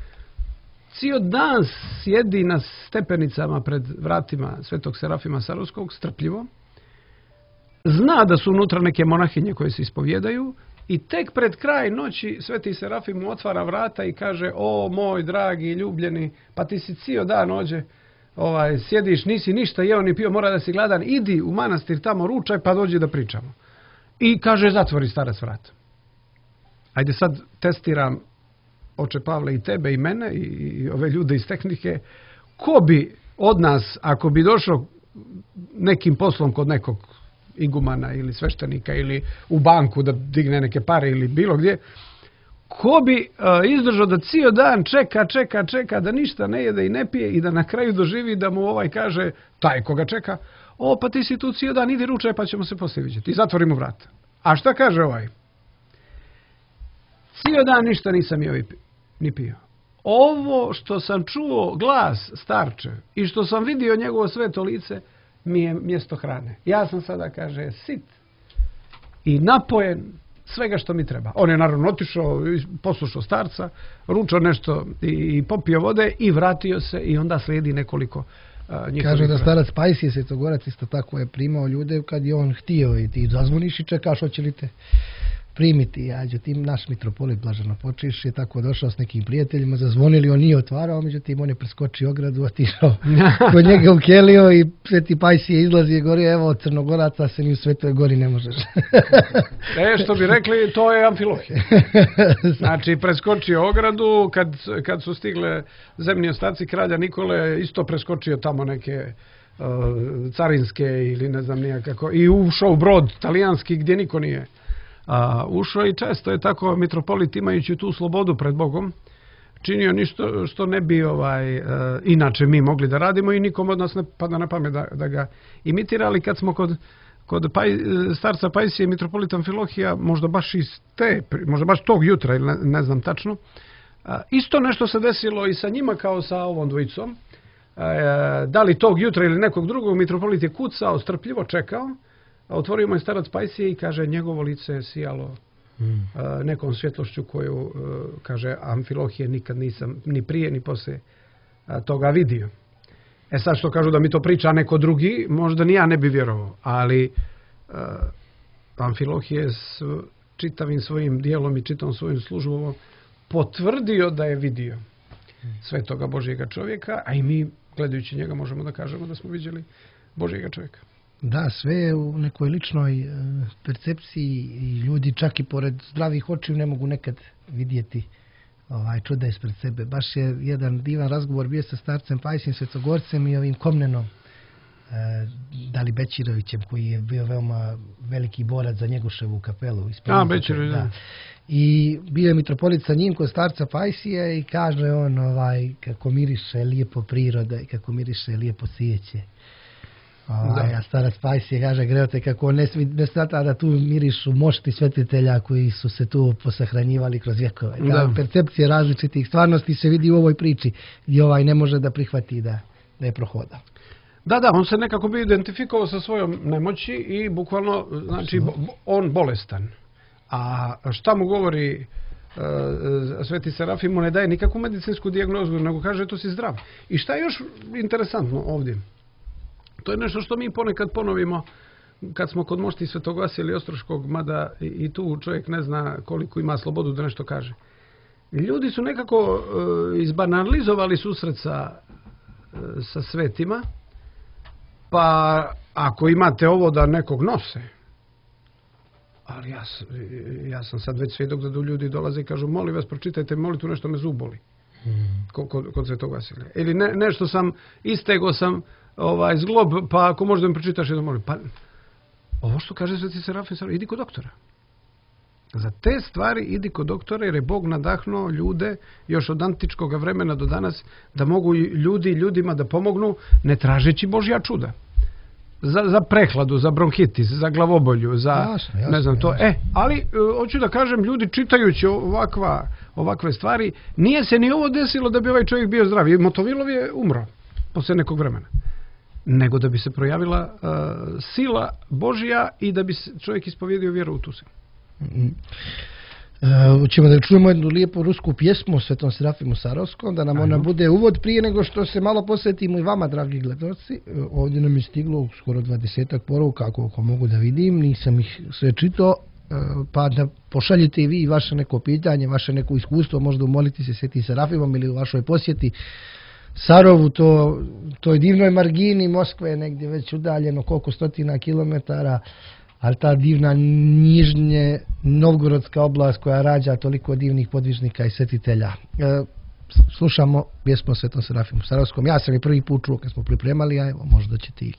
cijel dan sjedi na stepenicama pred vratima Svetog Serafima Sarovskog, strpljivo. Zna da su unutra neke monahinje koje se ispovjedaju. I tek pred kraj noći Sveti Serafim mu otvara vrata i kaže o moj dragi ljubljeni, pa ti si cijel dan ođe, ovaj, sjediš, nisi ništa jeo ni pio, mora da si gladan, idi u manastir tamo, ručaj pa dođi da pričamo. I kaže zatvori starac vrata. Ajde sad testiram oče Pavle i tebe i mene i, i ove ljude iz tehnike. Ko bi od nas, ako bi došao nekim poslom kod nekog igumana ili sveštenika ili u banku da digne neke pare ili bilo gdje, ko bi uh, izdržao da cijel dan čeka, čeka, čeka, da ništa ne jede i ne pije i da na kraju doživi da mu ovaj kaže, taj koga čeka, o pa ti si tu cijel dan, idi ručaj pa ćemo se poslije vidjeti. I zatvori mu vrata. A šta kaže ovaj? Cijel dan ništa nisam jeo ni pio. Ovo što sam čuo glas starče i što sam vidio njegovo sveto lice mi je mjesto hrane. Ja sam sada, kaže, sit i napojen svega što mi treba. On je naravno otišao, poslušao starca, ručao nešto i popio vode i vratio se i onda slijedi nekoliko uh, njihovih. Kaže da starac Pajsije Svetogorac isto tako je primao ljude kad je on htio i ti zazvoniš i čekaš hoće li te primiti. Ja, međutim, naš mitropolit Blaženo Počiš je tako došao s nekim prijateljima, zazvonili, on nije otvarao, međutim, on je preskočio ogradu, otišao kod njega u kelio i Sveti Pajsije izlazi i gori, evo, Crnogoraca se ni u Svetoj Gori ne možeš. E, što bi rekli, to je Amfilohije. Znači, preskočio ogradu, kad, kad su stigle zemni ostaci kralja Nikole, isto preskočio tamo neke uh, carinske ili ne znam nijakako, i ušao u brod talijanski gdje niko nije A, ušao i često je tako mitropolit imajući tu slobodu pred Bogom činio ništa što ne bi ovaj, uh, inače mi mogli da radimo i nikom od nas ne pada na pamet da, da ga imitira, ali kad smo kod, kod Paj, starca Pajsije i mitropolita Amfilohija, možda baš iz te, možda baš tog jutra, ili ne, ne znam tačno, uh, isto nešto se desilo i sa njima kao sa ovom dvojicom. Uh, da li tog jutra ili nekog drugog, mitropolit je kucao, strpljivo čekao, a otvorio mu je starac Pajsije i kaže, njegovo lice je sijalo Hmm. nekom svjetlošću koju, kaže, Amfilohije nikad nisam ni prije ni poslije toga vidio. E sad što kažu da mi to priča neko drugi, možda ni ja ne bi vjerovao, ali uh, Amfilohije s čitavim svojim dijelom i čitavom svojim službom potvrdio da je vidio svetoga Božjega čovjeka, a i mi gledajući njega možemo da kažemo da smo vidjeli Božjega čovjeka. Da, sve je u nekoj ličnoj e, percepciji i ljudi čak i pored zdravih očiju ne mogu nekad vidjeti ovaj čuda ispred sebe. Baš je jedan divan razgovor bio sa starcem Pajsijem Svetogorcem i ovim Komnenom e, Dali Bećirovićem, koji je bio veoma veliki borac za Njegoševu kapelu. A, Bećirović, da. I bio je mitropolit sa njim kod starca Pajsije i kaže on ovaj, kako miriše lijepo priroda i kako miriše lijepo svijeće. Ovaj, a starac Pajsije kaže, greote, kako ne, ne smatra da tu mirišu mošti svetitelja koji su se tu posahranjivali kroz vjekove. Da. Percepcije različitih stvarnosti se vidi u ovoj priči gdje ovaj ne može da prihvati da, da je prohoda. Da, da, on se nekako bi identifikovao sa svojom nemoći i bukvalno, znači, bo, on bolestan. A šta mu govori uh, Sveti Serafim, mu ne daje nikakvu medicinsku dijagnozu, nego kaže, to si zdrav. I šta je još interesantno ovdje? To je nešto što mi ponekad ponovimo kad smo kod mošti Svetog Vasilija Ostroškog, mada i tu čovjek ne zna koliko ima slobodu da nešto kaže. Ljudi su nekako uh, izbanalizovali susret sa, uh, sa svetima, pa ako imate ovo da nekog nose, ali ja, ja sam sad već svjedok da do ljudi dolaze i kažu, molim vas, pročitajte molitvu, nešto me zub boli. Hmm. Kod, kod Svetog Vasilija. Ili ne, nešto sam, istego sam ovaj zglob, pa ako možda mi pročitaš jedno molim. Pa, ovo što kaže Sveti Serafim, idi kod doktora. Za te stvari idi kod doktora, jer je Bog nadahnuo ljude još od antičkog vremena do danas da mogu ljudi ljudima da pomognu ne tražeći Božja čuda. Za, za prehladu, za bronhitis, za glavobolju, za jasno, jasno, ne znam to. Jasno. E, ali hoću da kažem, ljudi čitajući ovakva, ovakve stvari, nije se ni ovo desilo da bi ovaj čovjek bio zdrav. I Motovilov je umro posle nekog vremena. Nego da bi se projavila uh, sila Božja i da bi se čovjek ispovjedio vjeru u tu silu. Mm-hmm. Uh, ćemo da čujemo jednu lijepu rusku pjesmu o Svetom Serafimu Sarovskom, da nam Ajmo. ona bude uvod prije nego što se malo posvetimo i vama, dragi gledalci. Uh, ovdje nam je stiglo skoro dvadesetak poruka, ako mogu da vidim, nisam ih sve čitao, uh, pa da pošaljite i vi vaše neko pitanje, vaše neko iskustvo, možda umoliti se Svetim Serafimom ili u vašoj posjeti Sarovu, to, toj divnoj margini Moskve, negdje već udaljeno koliko stotina kilometara, ali ta divna nižnje Novgorodska oblast koja rađa toliko divnih podvižnika i svetitelja. E, slušamo pjesmu o Svetom Serafimu Sarovskom. Ja sam i prvi put čuo kad smo pripremali, a evo možda ćete i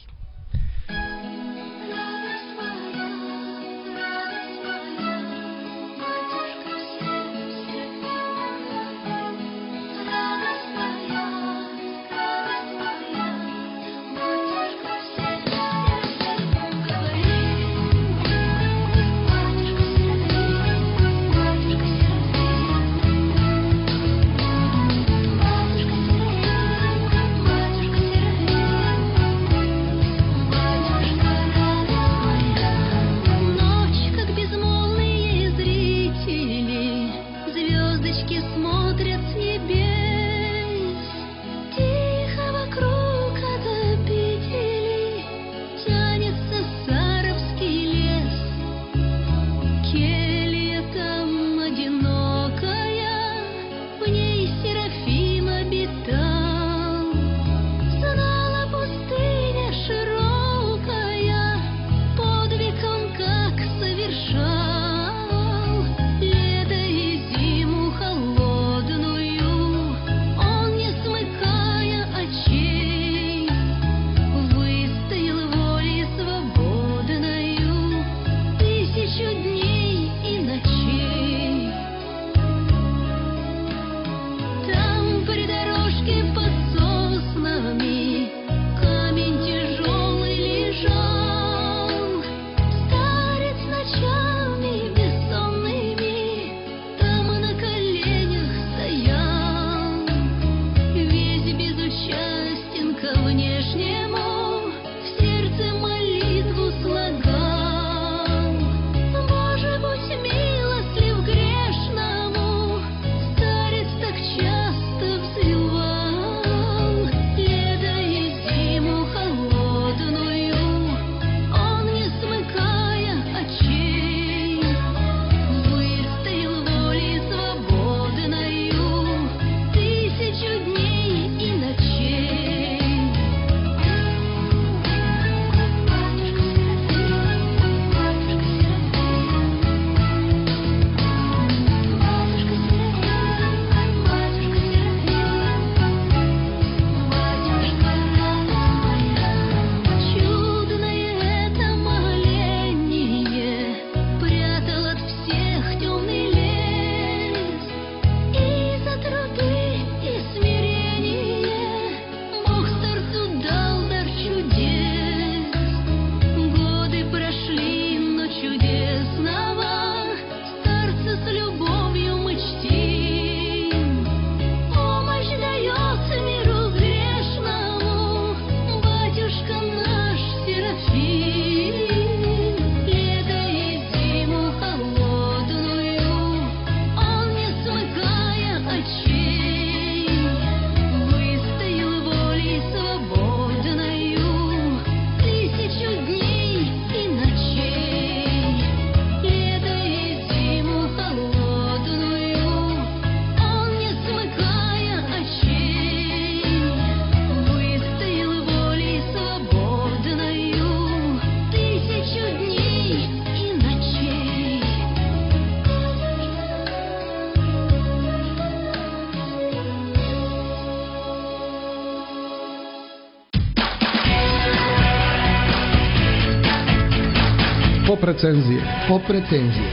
Pop recenzije. Pop recenzije.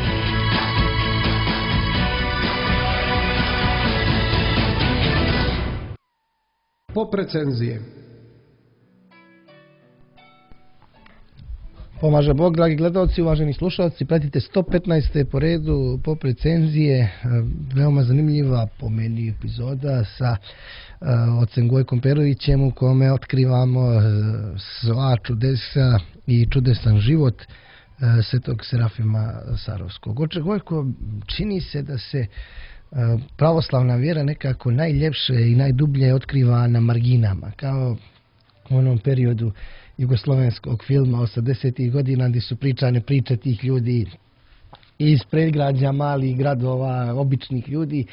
Pop recenzije. Pomaže Bog, dragi gledalci, uvaženi slušalci, pratite sto petnaeste po redu Pop recenzije, veoma zanimljiva po meni epizoda sa uh, ocem Gojkom Perovićem u kome otkrivamo uh, sva čudesa i čudesan život uh, Svetog Serafima Sarovskog. Oče Gojko, čini se da se uh, pravoslavna vjera nekako najljepše i najdublje otkriva na marginama, kao u onom periodu jugoslovenskog filma osamdesetih godina gdje su pričane priče tih ljudi iz predgrađa, malih gradova, običnih ljudi,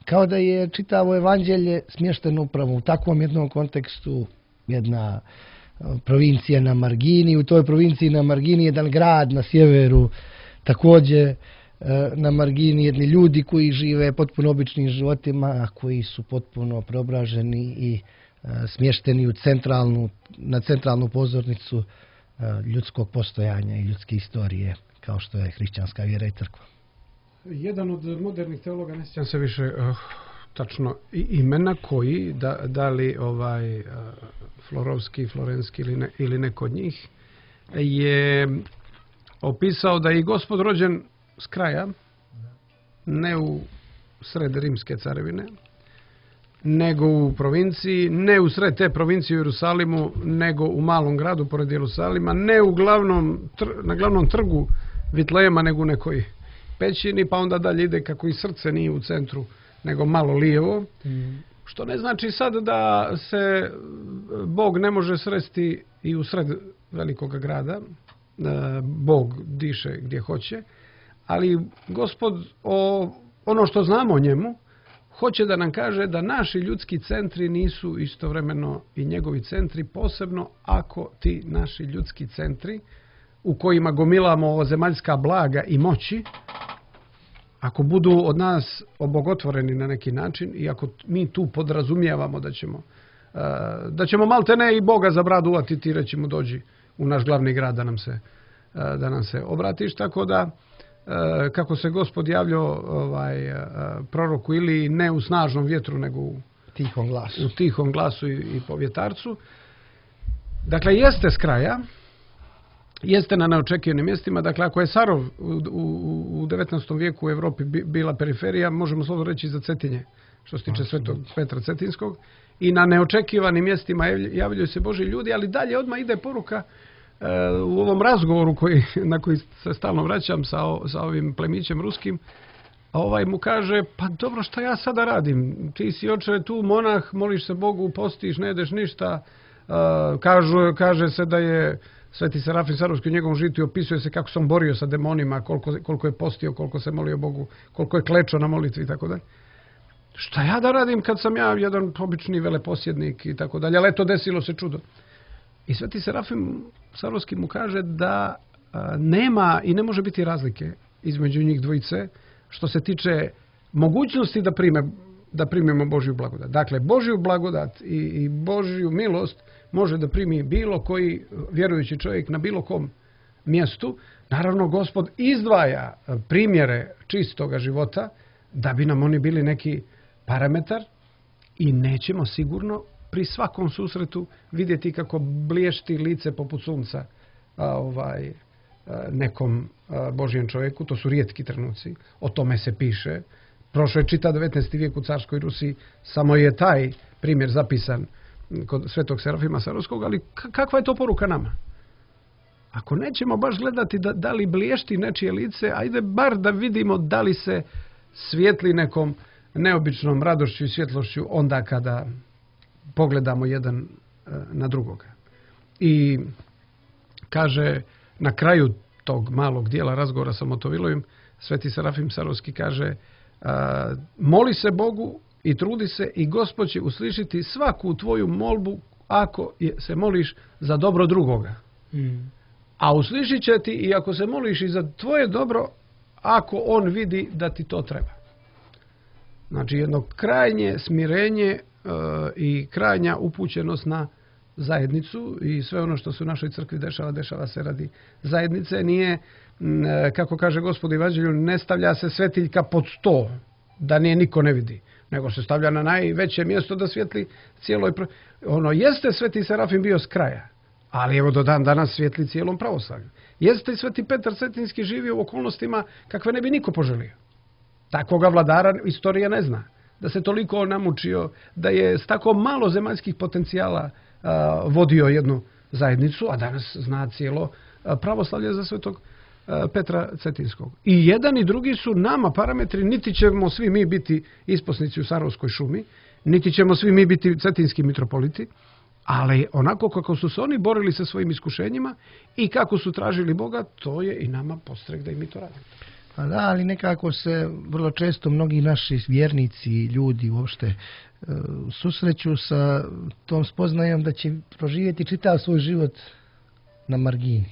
kao da je čitavo evanđelje smješteno upravo u takvom jednom kontekstu, jedna provincija na margini, u toj provinciji na margini jedan grad na sjeveru, također na margini jedni ljudi koji žive potpuno običnim životima, a koji su potpuno preobraženi i smješteni u centralnu, na centralnu pozornicu ljudskog postojanja i ljudske istorije, kao što je hrišćanska vjera i crkva. Jedan od modernih teologa, ne sjećam se više uh, tačno imena, koji, da, da li ovaj uh, Florovski, Florenski ili, ne, ili neko od njih, je opisao da je i Gospod rođen s kraja, ne u sred Rimske carevine, nego u provinciji, ne u sred te provincije u Jerusalimu, nego u malom gradu pored Jerusalima, ne u glavnom, tr, na glavnom trgu Vitlejema, nego u nekoj pećini, pa onda dalje ide kako i srce nije u centru, nego malo lijevo. Mm. Što ne znači sad da se Bog ne može sresti i u sred velikog grada. Bog diše gdje hoće, ali Gospod, o, ono što znamo o njemu, hoće da nam kaže da naši ljudski centri nisu istovremeno i njegovi centri, posebno ako ti naši ljudski centri u kojima gomilamo ovozemaljska blaga i moći, ako budu od nas obogotvoreni na neki način i ako mi tu podrazumijevamo da ćemo, da ćemo maltene i Boga za bradu uvatiti i reći mu dođi u naš glavni grad da nam se, da nam se obratiš, tako da kako se Gospod javljao ovaj, proroku ili ne u snažnom vjetru, nego u tihom glasu, u tihom glasu i, i po vjetarcu. Dakle, jeste s kraja, jeste na neočekivanim mjestima. Dakle, ako je Sarov u, u, u devetnaestom vijeku u Europi bila periferija, možemo slobodno reći za Cetinje, što se tiče Svetog Petra Cetinskog, i na neočekivanim mjestima javljaju se Božji ljudi, ali dalje odmah ide poruka u ovom razgovoru koji, na koji se stalno vraćam sa, sa ovim plemićem ruskim, ovaj mu kaže, pa dobro, šta ja sada radim? Ti si, oče, tu monah, moliš se Bogu, postiš, ne jedeš ništa. Uh, kažu, kaže se da je Sveti Serafim Sarovski u njegovom žitu opisuje se kako se on borio sa demonima, koliko, koliko je postio, koliko se molio Bogu, koliko je klečao na molitvi i tako dalje. Šta ja da radim kad sam ja jedan obični veleposjednik i tako dalje, ali eto, desilo se čudo. I Sveti Serafim Sarovski mu kaže da a, nema i ne može biti razlike između njih dvojice što se tiče mogućnosti da, prime, da primimo Božju blagodat. Dakle, Božju blagodat i, i Božju milost može da primi bilo koji vjerujući čovjek na bilo kom mjestu. Naravno, Gospod izdvaja primjere čistoga života da bi nam oni bili neki parametar i nećemo sigurno pri svakom susretu vidjeti kako bliješti lice poput sunca a, ovaj, a, nekom a, Božjem čovjeku. To su rijetki trenuci. O tome se piše. Prošlo je čita devetnaesti vijek u carskoj Rusiji. Samo je taj primjer zapisan kod Svetog Serafima Sarovskog. Ali kakva je to poruka nama? Ako nećemo baš gledati da, da li bliješti nečije lice, ajde bar da vidimo da li se svijetli nekom neobičnom radošću i svjetlošću onda kada pogledamo jedan na drugoga. I kaže na kraju tog malog dijela razgovora sa Motovilovim, Sveti Serafim Sarovski kaže, a, moli se Bogu i trudi se i Gospod će uslišiti svaku tvoju molbu ako je, se moliš za dobro drugoga. Mm. A uslišit će ti i ako se moliš i za tvoje dobro, ako on vidi da ti to treba. Znači jedno krajnje smirenje i krajnja upućenost na zajednicu i sve ono što se u našoj crkvi dešava, dešava se radi zajednice. Nije, kako kaže Gospod Evanđelju, ne stavlja se svetiljka pod sto, da nije niko ne vidi, nego se stavlja na najveće mjesto da svijetli cijeloj... Ono, jeste Sveti Serafim bio s kraja, ali evo do dan danas svijetli cijelom pravoslavlju. Jeste i Sveti Petar Cetinski živio u okolnostima kakve ne bi niko poželio. Takvoga vladara istorija ne zna. Da se toliko namučio, da je s tako malo zemaljskih potencijala a, vodio jednu zajednicu, a danas zna cijelo a, pravoslavlje za Svetog a, Petra Cetinskog. I jedan i drugi su nama parametri, niti ćemo svi mi biti isposnici u Sarovskoj šumi, niti ćemo svi mi biti cetinski mitropoliti, ali onako kako su se oni borili sa svojim iskušenjima i kako su tražili Boga, to je i nama podstrek da i mi to radimo. Pa da, ali nekako se vrlo često mnogi naši vjernici, ljudi uopšte susreću sa tom spoznajom da će proživjeti čitav svoj život na margini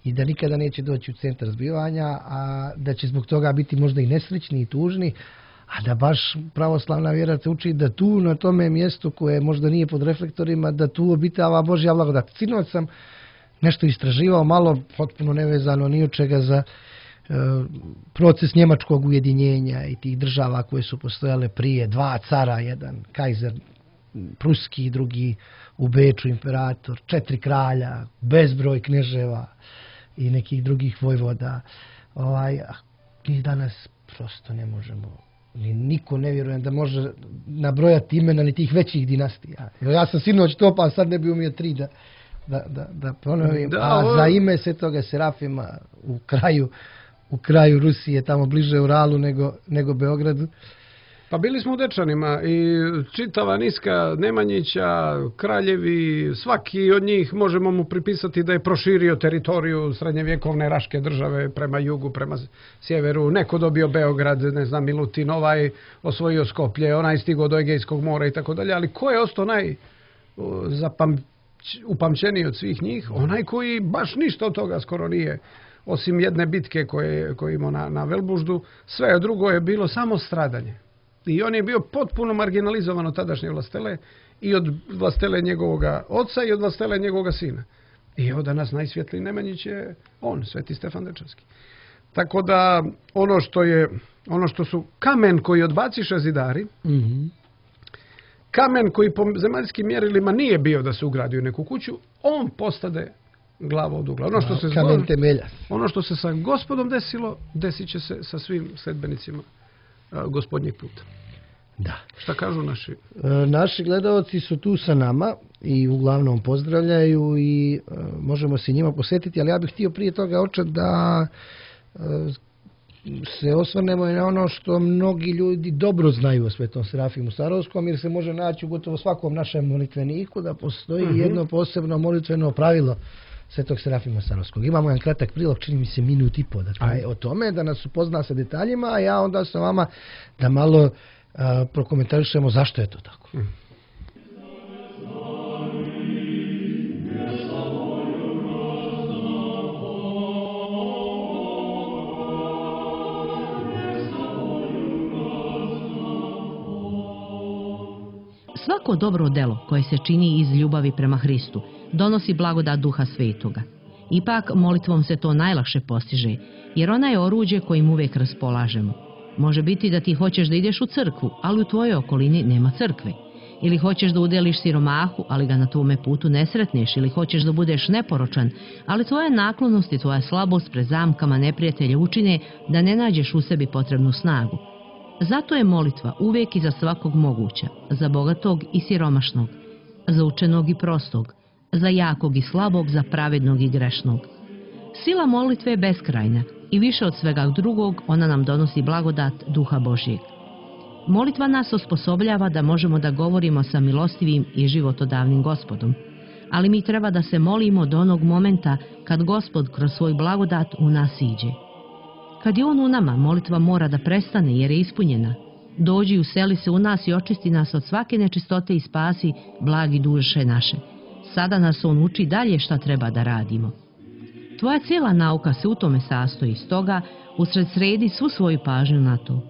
i da nikada neće doći u centar zbivanja, a da će zbog toga biti možda i nesrećni i tužni, a da baš pravoslavna vjera te uči da tu na tome mjestu koje možda nije pod reflektorima, da tu obitava Božja blagodat. Sinoć sam nešto istraživao, malo potpuno nevezano ni od čega za proces njemačkog ujedinjenja i tih država koje su postojale prije, dva cara, jedan kajzer pruski, drugi u Beču imperator, četiri kralja, bezbroj kneževa i nekih drugih vojvoda. Ovaj, mi danas prosto ne možemo, ni niko ne vjerujem da može nabrojati imena ni tih većih dinastija. Ja sam sinoć to, pa sad ne bi umio tri da, da, da, da ponovim. Da, a ovo... za ime Svetoga Serafima u kraju u kraju Rusije, tamo bliže Uralu nego, nego Beogradu. Pa bili smo u Dečanima i čitava niska Nemanjića, kraljevi, svaki od njih možemo mu pripisati da je proširio teritoriju srednjevjekovne Raške države prema jugu, prema sjeveru. Neko dobio Beograd, ne znam, Milutin, ovaj osvojio Skoplje, onaj stigao do Egejskog mora i tako dalje. Ali ko je ostao naj zapam, upamćeniji od svih njih? Onaj koji baš ništa od toga skoro nije, osim jedne bitke koje, koje imao na, na Velbuždu, sve drugo je bilo samo stradanje. I on je bio potpuno marginalizovan od tadašnje vlastele i od vlastele njegovoga oca i od vlastele njegovoga sina. I evo danas najsvjetliji Nemanjić je on, Sveti Stefan Dečanski. Tako da ono što je, ono što su kamen koji odbaciše zidari, mm-hmm. kamen koji po zemaljskim mjerilima nije bio da se ugradi u neku kuću, on postade glava od ugla. Ono što se kamen temelja. Ono što se sa Gospodom desilo, desit će se sa svim sledbenicima a, Gospodnjeg puta. Da. Šta kažu naši? E, naši gledalci su tu sa nama i uglavnom pozdravljaju i e, možemo se njima posjetiti, ali ja bih htio prije toga oče da e, se osvrnemo i na ono što mnogi ljudi dobro znaju o Svetom Serafimu Sarovskom, jer se može naći u gotovo svakom našem molitveniku da postoji uh-huh. jedno posebno molitveno pravilo Svetog Serafima Sarovskog. Imamo jedan kratak prilog, čini mi se minut i po, dakle, o tome da nas upozna sa detaljima, a ja onda sa vama da malo a, prokomentarišemo zašto je to tako. Uh-huh. Svako dobro delo koje se čini iz ljubavi prema Hristu donosi blagodat Duha Svetoga. Ipak molitvom se to najlakše postiže, jer ona je oruđe kojim uvijek raspolažemo. Može biti da ti hoćeš da ideš u crkvu, ali u tvojoj okolini nema crkve. Ili hoćeš da udeliš siromahu, ali ga na tvome putu ne sretneš. Ili hoćeš da budeš neporočan, ali tvoja naklonost i tvoja slabost pred zamkama neprijatelja učine da ne nađeš u sebi potrebnu snagu. Zato je molitva uvijek i za svakog moguća, za bogatog i siromašnog, za učenog i prostog, za jakog i slabog, za pravednog i grešnog. Sila molitve je beskrajna i više od svega drugog ona nam donosi blagodat Duha Božjeg. Molitva nas osposobljava da možemo da govorimo sa milostivim i životodavnim Gospodom, ali mi treba da se molimo do onog momenta kad Gospod kroz svoj blagodat u nas iđe. Kad je on u nama, molitva mora da prestane jer je ispunjena. Dođi, useli se u nas i očisti nas od svake nečistote i spasi blagi duše naše. Sada nas on uči dalje šta treba da radimo. Tvoja cijela nauka se u tome sastoji, stoga usred sredi svu svoju pažnju na to.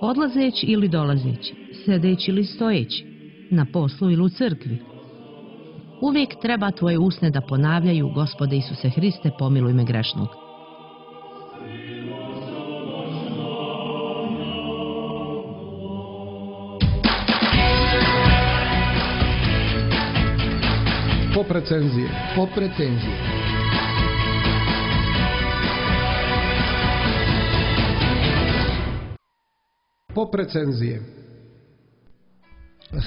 Odlazeći ili dolazeći, sedeći ili stojeći, na poslu ili u crkvi. Uvijek treba tvoje usne da ponavljaju: Gospode Isuse Hriste, pomiluj me grešnog. Pop recenzije. Pop recenzije. Pop recenzije.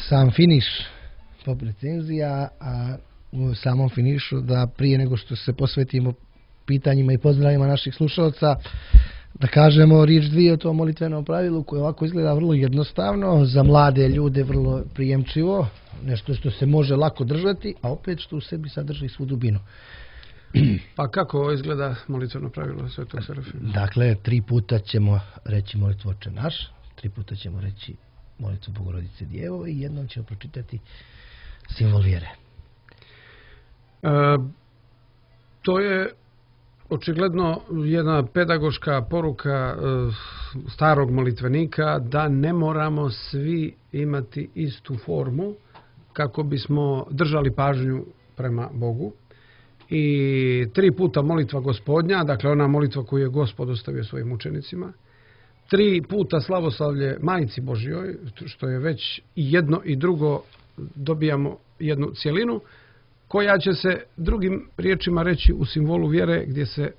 Sam finiš pop recenzija, a u samom finišu da prije nego što se posvetimo pitanjima i pozdravima naših slušalaca, da kažemo riječ dvije o tom molitvenom pravilu koje ovako izgleda vrlo jednostavno, za mlade ljude vrlo prijemčivo, nešto što se može lako držati, a opet što u sebi sadrži svu dubinu. Pa kako izgleda molitveno pravilo Svetog Serafima? Dakle, tri puta ćemo reći molitvu Oče naš, tri puta ćemo reći molitvu Bogorodice Djevo i jednom ćemo pročitati simbol vjere. E, to je očigledno jedna pedagoška poruka e, starog molitvenika da ne moramo svi imati istu formu kako bismo držali pažnju prema Bogu. I tri puta molitva Gospodnja, dakle ona molitva koju je Gospod ostavio svojim učenicima, tri puta slavoslavlje Majci Božjoj, što je već i jedno i drugo, dobijamo jednu cjelinu, koja će se drugim riječima reći u simbolu vjere gdje se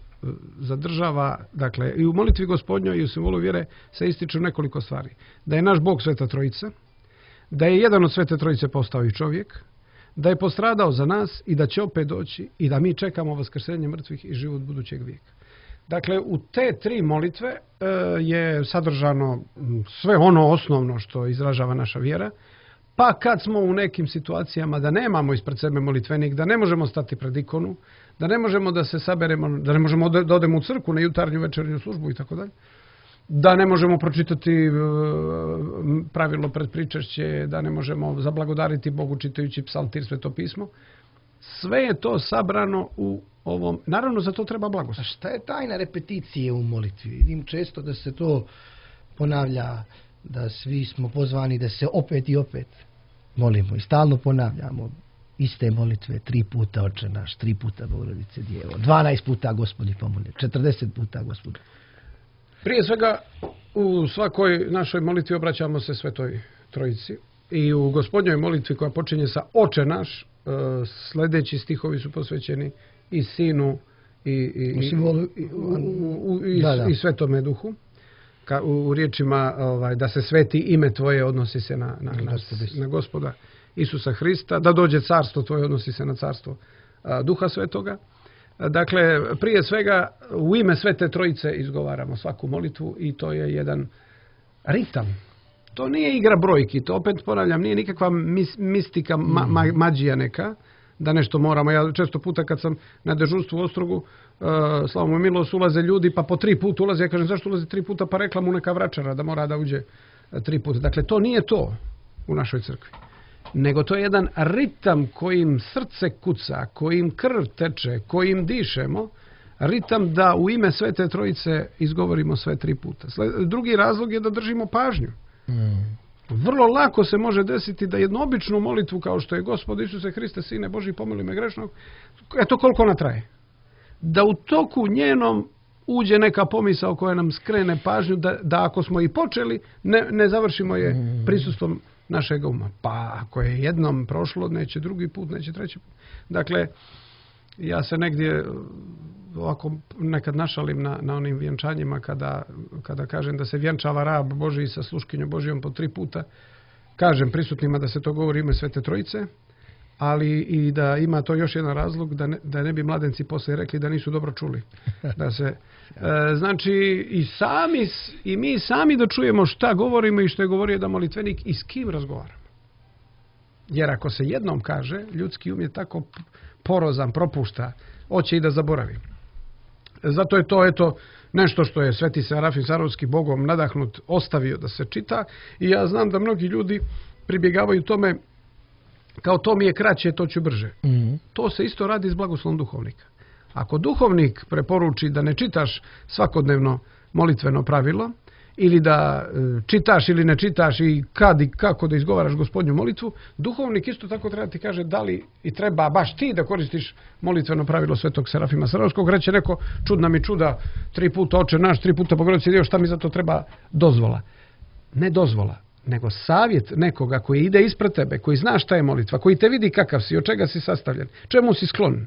zadržava, dakle i u molitvi Gospodnjoj i u simbolu vjere se ističu nekoliko stvari. Da je naš Bog Sveta Trojica, da je jedan od Svete Trojice postao i čovjek, da je postradao za nas i da će opet doći i da mi čekamo vaskrsenje mrtvih i život budućeg vijeka. Dakle, u te tri molitve e, je sadržano sve ono osnovno što izražava naša vjera, pa kad smo u nekim situacijama da nemamo ispred sebe molitvenik, da ne možemo stati pred ikonu, da ne možemo da se saberemo, da ne možemo da odemo u crkvu na jutarnju večernju službu i tako dalje, da ne možemo pročitati e, pravilo pred pričešće, da ne možemo zablagodariti Bogu čitajući psaltir, Sveto pismo, sve je to sabrano u ovom. Naravno, za to treba blagoslov. A šta je tajna repeticije u molitvi? Vidim često da se to ponavlja, da svi smo pozvani da se opet i opet molimo i stalno ponavljamo iste molitve, tri puta Oče naš, tri puta Bogorodice Djevo, dvanaest puta Gospodi pomoli, četrdeset puta Gospodu. Prije svega, u svakoj našoj molitvi obraćamo se Svetoj Trojici i u Gospodnjoj molitvi koja počinje sa Oče naš, sljedeći stihovi su posvećeni i Sinu i, i, u simbolu, i, u, u, i, da, da. i Svetome Duhu. Ka, u, u riječima ovaj, da se sveti ime Tvoje odnosi se na, na, na, na Gospoda Isusa Hrista, da dođe carstvo Tvoje odnosi se na carstvo a, Duha Svetoga. Dakle, prije svega u ime Svete Trojice izgovaramo svaku molitvu i to je jedan ritam. To nije igra brojki, to opet ponavljam, nije nikakva mis, mistika, ma, ma, mađija neka, da nešto moramo. Ja često puta kad sam na dežurstvu u Ostrogu, uh, slavo mu milost, ulaze ljudi, pa po tri puta ulaze, ja kažem zašto ulaze tri puta, pa rekla mu neka vračara da mora da uđe tri puta. Dakle, to nije to u našoj crkvi, nego to je jedan ritam kojim srce kuca, kojim krv teče, kojim dišemo, ritam da u ime Svete Trojice izgovorimo sve tri puta. Drugi razlog je da držimo pažnju. Mm. Vrlo lako se može desiti da jednu običnu molitvu kao što je Gospod Isuse Hriste, Sine Božji, pomoli me grešnog, eto koliko ona traje. Da u toku njenom uđe neka pomisao koja nam skrene pažnju da, da ako smo i počeli, ne, ne završimo je mm. prisustvom našeg uma. Pa ako je jednom prošlo, neće drugi put, neće treći put. Dakle, ja se negdje ovako nekad našalim na, na onim vjenčanjima kada, kada kažem da se vjenčava rab Božji sa sluškinjom Božjom po tri puta. Kažem prisutnima da se to govori ime Svete Trojice, ali i da ima to još jedan razlog da ne, da ne bi mladenci poslije rekli da nisu dobro čuli. Da se, e, znači i sami i mi sami da čujemo šta govorimo i što je govorio da molitvenik i s kim razgovaramo. Jer ako se jednom kaže, ljudski um je tako porozan, propušta, hoće i da zaboravi. Zato je to eto nešto što je Sveti Serafim Sarovski Bogom nadahnut ostavio da se čita i ja znam da mnogi ljudi pribjegavaju tome kao to mi je kraće, to ću brže. Mm-hmm. To se isto radi s blagoslovom duhovnika. Ako duhovnik preporuči da ne čitaš svakodnevno molitveno pravilo ili da čitaš ili ne čitaš i kad i kako da izgovaraš Gospodnju molitvu, duhovnik isto tako treba ti kaže da li i treba baš ti da koristiš molitveno pravilo Svetog Serafima Sarovskog. Reće neko, čudna mi čuda, tri puta Oče naš, tri puta Bogorodice Djevo, šta mi za to treba dozvola? Ne dozvola, nego savjet nekoga koji ide ispred tebe, koji zna šta je molitva, koji te vidi kakav si, od čega si sastavljen, čemu si sklon,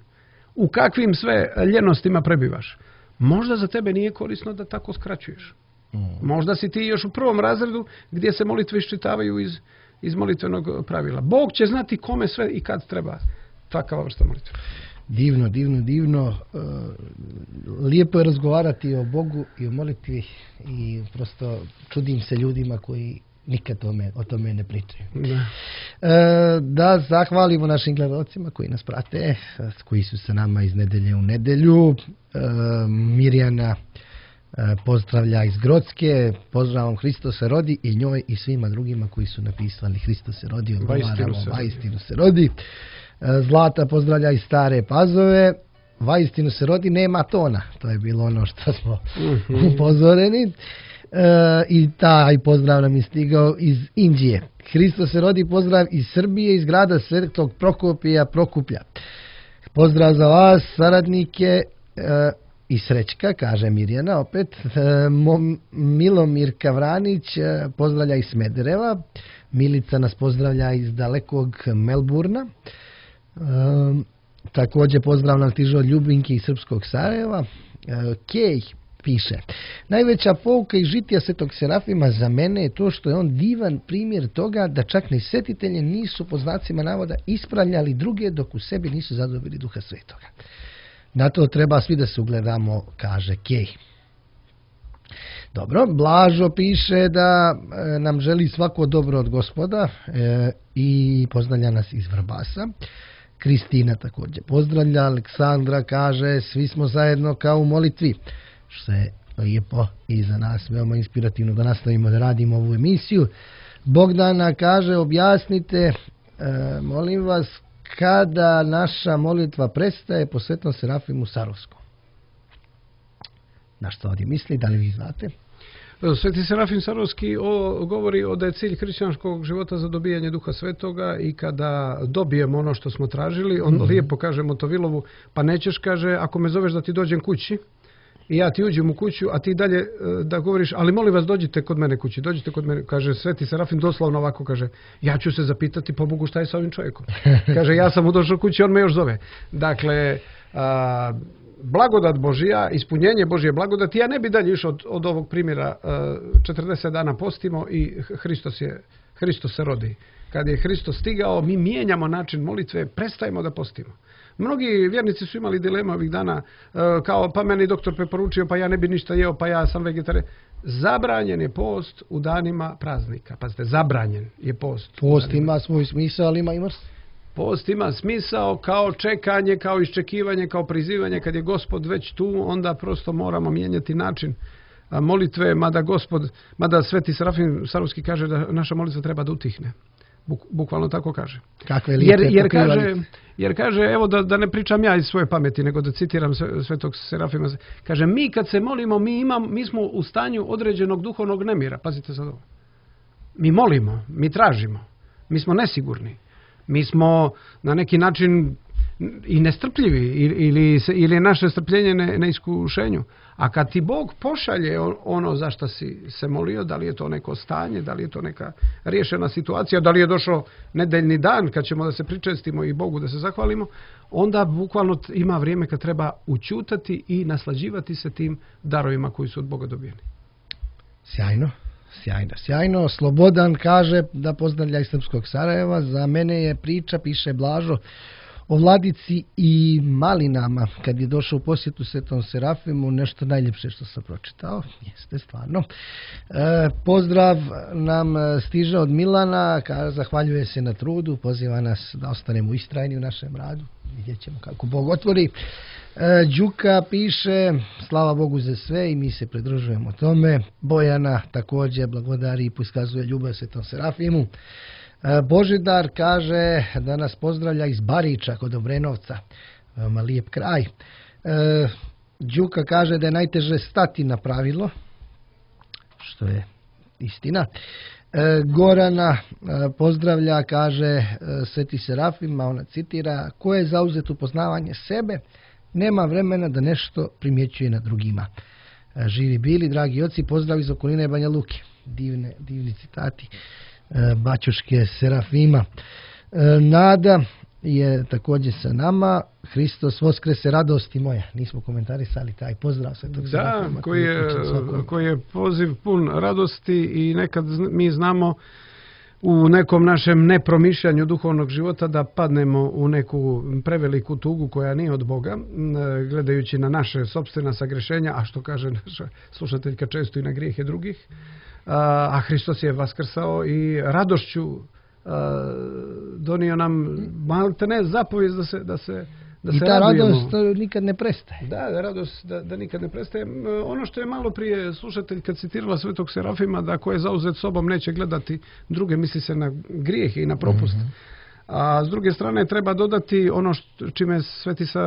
u kakvim sve ljenostima prebivaš. Možda za tebe nije korisno da tako skraćuješ. Možda si ti još u prvom razredu gdje se molitve iščitavaju iz, iz molitvenog pravila. Bog će znati kome sve i kad treba takva vrsta molitve. Divno, divno, divno. Lijepo je razgovarati o Bogu i o molitvi i prosto čudim se ljudima koji nikad tome, o tome ne pričaju. Da. Da zahvalimo našim gledalcima koji nas prate, koji su sa nama iz nedelje u nedelju. Mirjana pozdravlja iz Grocke, pozdravom Hristos se rodi i njoj i svima drugima koji su napisali Hristos se rodi, odgovaramo vaistinu se rodi. Zlata pozdravlja iz Stare Pazove, vaistinu se rodi, nema tona, to je bilo ono što smo mm-hmm. upozoreni. E, i taj pozdrav nam je stigao iz Indije. Hristos se rodi, pozdrav iz Srbije, iz grada Svetog Prokopija, Prokuplja. Pozdrav za vas, saradnike, e, i Srećka, kaže Mirjana opet. E, Milomir Kavranić e, pozdravlja iz Smedereva. Milica nas pozdravlja iz dalekog Melburna. E, također pozdrav nam stiže od Ljubinke iz Srpskog Sarajeva. E, Kej piše: najveća pouka iz žitija Svetog Serafima za mene je to što je on divan primjer toga da čak ni svetitelji nisu po znacima navoda ispravljali druge dok u sebi nisu zadobili Duha Svetoga. Na to treba svi da se ugledamo, kaže Kej. Dobro, Blažo piše da e, nam želi svako dobro od Gospoda e, i pozdravlja nas iz Vrbasa. Kristina također pozdravlja. Aleksandra kaže: svi smo zajedno kao u molitvi, što je lijepo i za nas veoma inspirativno da nastavimo da radimo ovu emisiju. Bogdana kaže: objasnite, e, molim vas, kada naša molitva prestaje po Svetom Serafimu Sarovskom. Na što ovdje misli, da li vi znate? Sveti Serafim Sarovski o, govori o da je cilj hrišćanskog života za dobijanje Duha Svetoga i kada dobijemo ono što smo tražili, on mm-hmm. lijepo kaže Motovilovu: pa nećeš, kaže, ako me zoveš da ti dođem kući i ja ti uđem u kuću, a ti dalje da govoriš, ali molim vas dođite kod mene kući, dođite kod mene. Kaže Sveti Serafim doslovno ovako, kaže: ja ću se zapitati po Bogu šta je sa ovim čovjekom. Kaže: ja sam mu došao kući, on me još zove. Dakle, a, blagodat Božija, ispunjenje Božje blagodati, ja ne bi dalje išao od, od ovog primjera. A, četrdeset dana postimo i Hristos, je, Hristos se rodi. Kad je Hristos stigao, mi mijenjamo način molitve, prestajemo da postimo. Mnogi vjernici su imali dilema ovih dana, kao pa meni doktor preporučio, pa ja ne bi ništa jeo, pa ja sam vegetarijan. Zabranjen je post u danima praznika. Pazite, zabranjen je post. Post ima svoj smisao, ali ima i mrst. Post ima smisao kao čekanje, kao iščekivanje, kao prizivanje. Kad je Gospod već tu, onda prosto moramo mijenjati način molitve, mada Gospod, mada Sveti Serafim Sarovski kaže da naša molitva treba da utihne. Buk, bukvalno tako kaže. Kakve jer, jer, kaže jer kaže, evo da, da ne pričam ja iz svoje pameti, nego da citiram Svetog Serafima, kaže: mi kad se molimo, mi, imam, mi smo u stanju određenog duhovnog nemira. Pazite sad ovo. Mi molimo, mi tražimo, mi smo nesigurni, mi smo na neki način i nestrpljivi ili, ili je naše strpljenje ne, na iskušenju. A kad ti Bog pošalje ono za što si se molio, da li je to neko stanje, da li je to neka riješena situacija, da li je došao nedeljni dan kad ćemo da se pričestimo i Bogu da se zahvalimo, onda bukvalno ima vrijeme kad treba učutati i naslađivati se tim darovima koji su od Boga dobijeni. Sjajno, sjajno, sjajno. Slobodan kaže da pozdravlja iz Srpskog Sarajeva. Za mene je priča, piše Blažo, o Vladici i malinama kad je došao u posjetu Svetom Serafimu, nešto najljepše što sam pročitao. Jeste, stvarno. E, pozdrav nam stiže od Milana, kaže, zahvaljuje se na trudu, poziva nas da ostanemo istrajni u našem radu. Vidjet ćemo kako Bog otvori. E, Đuka piše: slava Bogu za sve i mi se pridružujemo tome. Bojana također blagodari i iskazuje ljubav Svetom Serafimu. Božidar kaže da nas pozdravlja iz Bariča kod Obrenovca. Veoma lijep kraj. E, Đuka kaže da je najteže stati na pravilo, što je istina. E, Gorana e, pozdravlja, kaže e, Sveti Serafim, a ona citira: ko je zauzet u poznavanje sebe, nema vremena da nešto primjećuje na drugima. E, živi bili, dragi oci, pozdrav iz okoline Banja Luke. Divne, divni citati. Baćuške Serafima. Nada je također sa nama. Hristos Voskrese, radosti moja. Nismo komentarisali taj pozdrav Svetog Serafima. Da, koji je, koji je poziv pun radosti i nekad mi znamo u nekom našem nepromišljanju duhovnog života da padnemo u neku preveliku tugu koja nije od Boga, gledajući na naše sopstvena sagrešenja, a što kaže naša slušateljka često i na grijehe drugih. A Hristos je vaskrsao i radošću donio nam malte ne zapovijest da se da se da I se ta radujemo. radost nikad ne prestaje. Da, da, radost da, da nikad ne prestaje. Ono što je malo prije slušateljka citirala Svetog Serafima, da ko je zauzet sobom neće gledati druge, misli se na grijehe i na propust. Mm-hmm. A s druge strane treba dodati ono što, čime Sveti sa,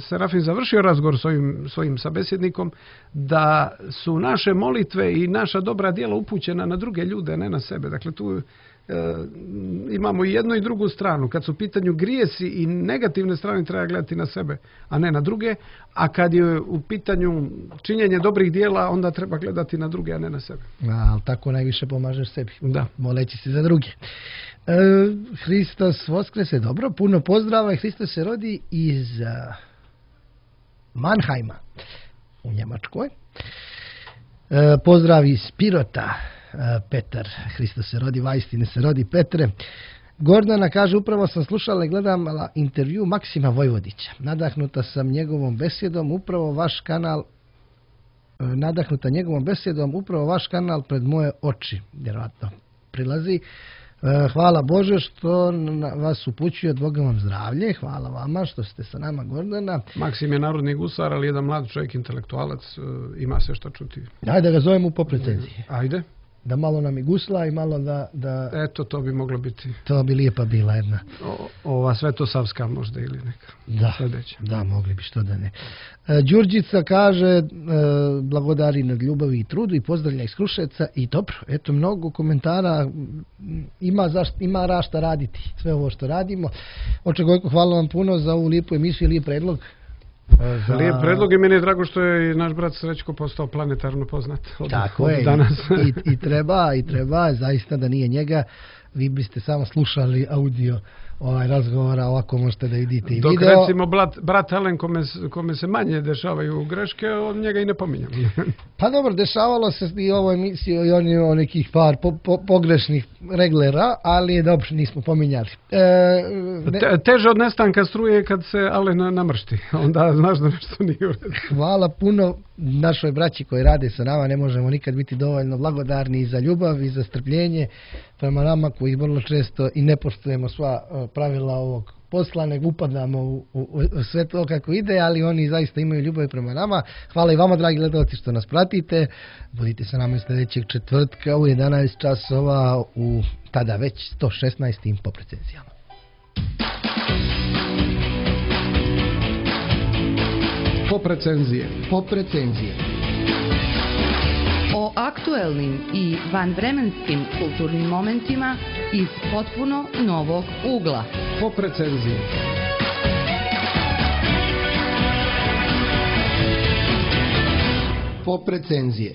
Serafim završio razgovor s ovim svojim sabesjednikom, da su naše molitve i naša dobra djela upućena na druge ljude, ne na sebe. Dakle, tu e, imamo i jednu i drugu stranu. Kad su u pitanju grijesi i negativne strane, treba gledati na sebe, a ne na druge. A kad je u pitanju činjenje dobrih djela, onda treba gledati na druge, a ne na sebe. A, ali tako najviše pomažeš sebi. Da. Moleći se za druge. E, Hristos Voskrese, dobro, puno pozdrava. Hristos se rodi iz uh, Mannheima u Njemačkoj. E, pozdrav iz Pirota, e, Petar. Hristos se rodi, vajstine se rodi, Petre. Gordana kaže, upravo sam slušala i gledala intervju Maksima Vojvodića. Nadahnuta sam njegovom besjedom, upravo vaš kanal e, nadahnuta njegovom besjedom, upravo vaš kanal pred moje oči, vjerojatno prilazi. Hvala Bože što vas upućuje, od Boga vam zdravlje. Hvala vama što ste sa nama, Gordana. Maksim je narodni gusar, ali jedan mlad čovjek, intelektualac, ima sve što čuti. Ajde da ga zovemo po recenziji. Ajde. Da malo nam i gusla i malo da... da... Eto, to bi moglo biti. To bi lijepa bila jedna. O, ova Svetosavska možda ili neka. Da, sljedeća. Da, mogli bi, što da ne. E, Đurđica kaže, e, blagodari nad ljubavi i trudu i pozdravlja iz Kruševca i dobro, eto mnogo komentara, ima, zašt, ima rašta raditi, sve ovo što radimo. Oče Gojko, hvala vam puno za ovu lijepu emisiju, lijep predlog. Za... Lijep predlog i meni je drago što je i naš brat Srećko postao planetarno poznat od, Tako od je, danas. I, i treba, i treba, zaista da nije njega, vi biste samo slušali audio ovaj razgovora, ovako možete da vidite i Dok video. Dok recimo brat, brat Alen kome, kome se manje dešavaju greške, on njega i ne pominjam. Pa dobro, dešavalo se i ovo emisiju i on je o nekih par po, po, pogrešnih reglera, ali dobro, nismo pominjali. E, ne... Te, teže od nestanka struje kad se Alen namršti, onda znaš da nešto nije u redu. Hvala puno našoj braći koji rade sa nama, ne možemo nikad biti dovoljno blagodarni i za ljubav i za strpljenje prema nama koji vrlo često i ne poštujemo sva pravila ovog posla, nego upadamo u, u, u sve to kako ide, ali oni zaista imaju ljubav prema nama. Hvala i vama, dragi gledalci, što nas pratite. Budite sa nama sljedećeg četvrtka u jedanaest časova u tada već sto šesnaestim pop recenzijama. Pop recenzije. Pop recenzije. O aktuelnim i vanvremenskim kulturnim momentima iz potpuno novog ugla. Pop recenzije. Pop recenzije.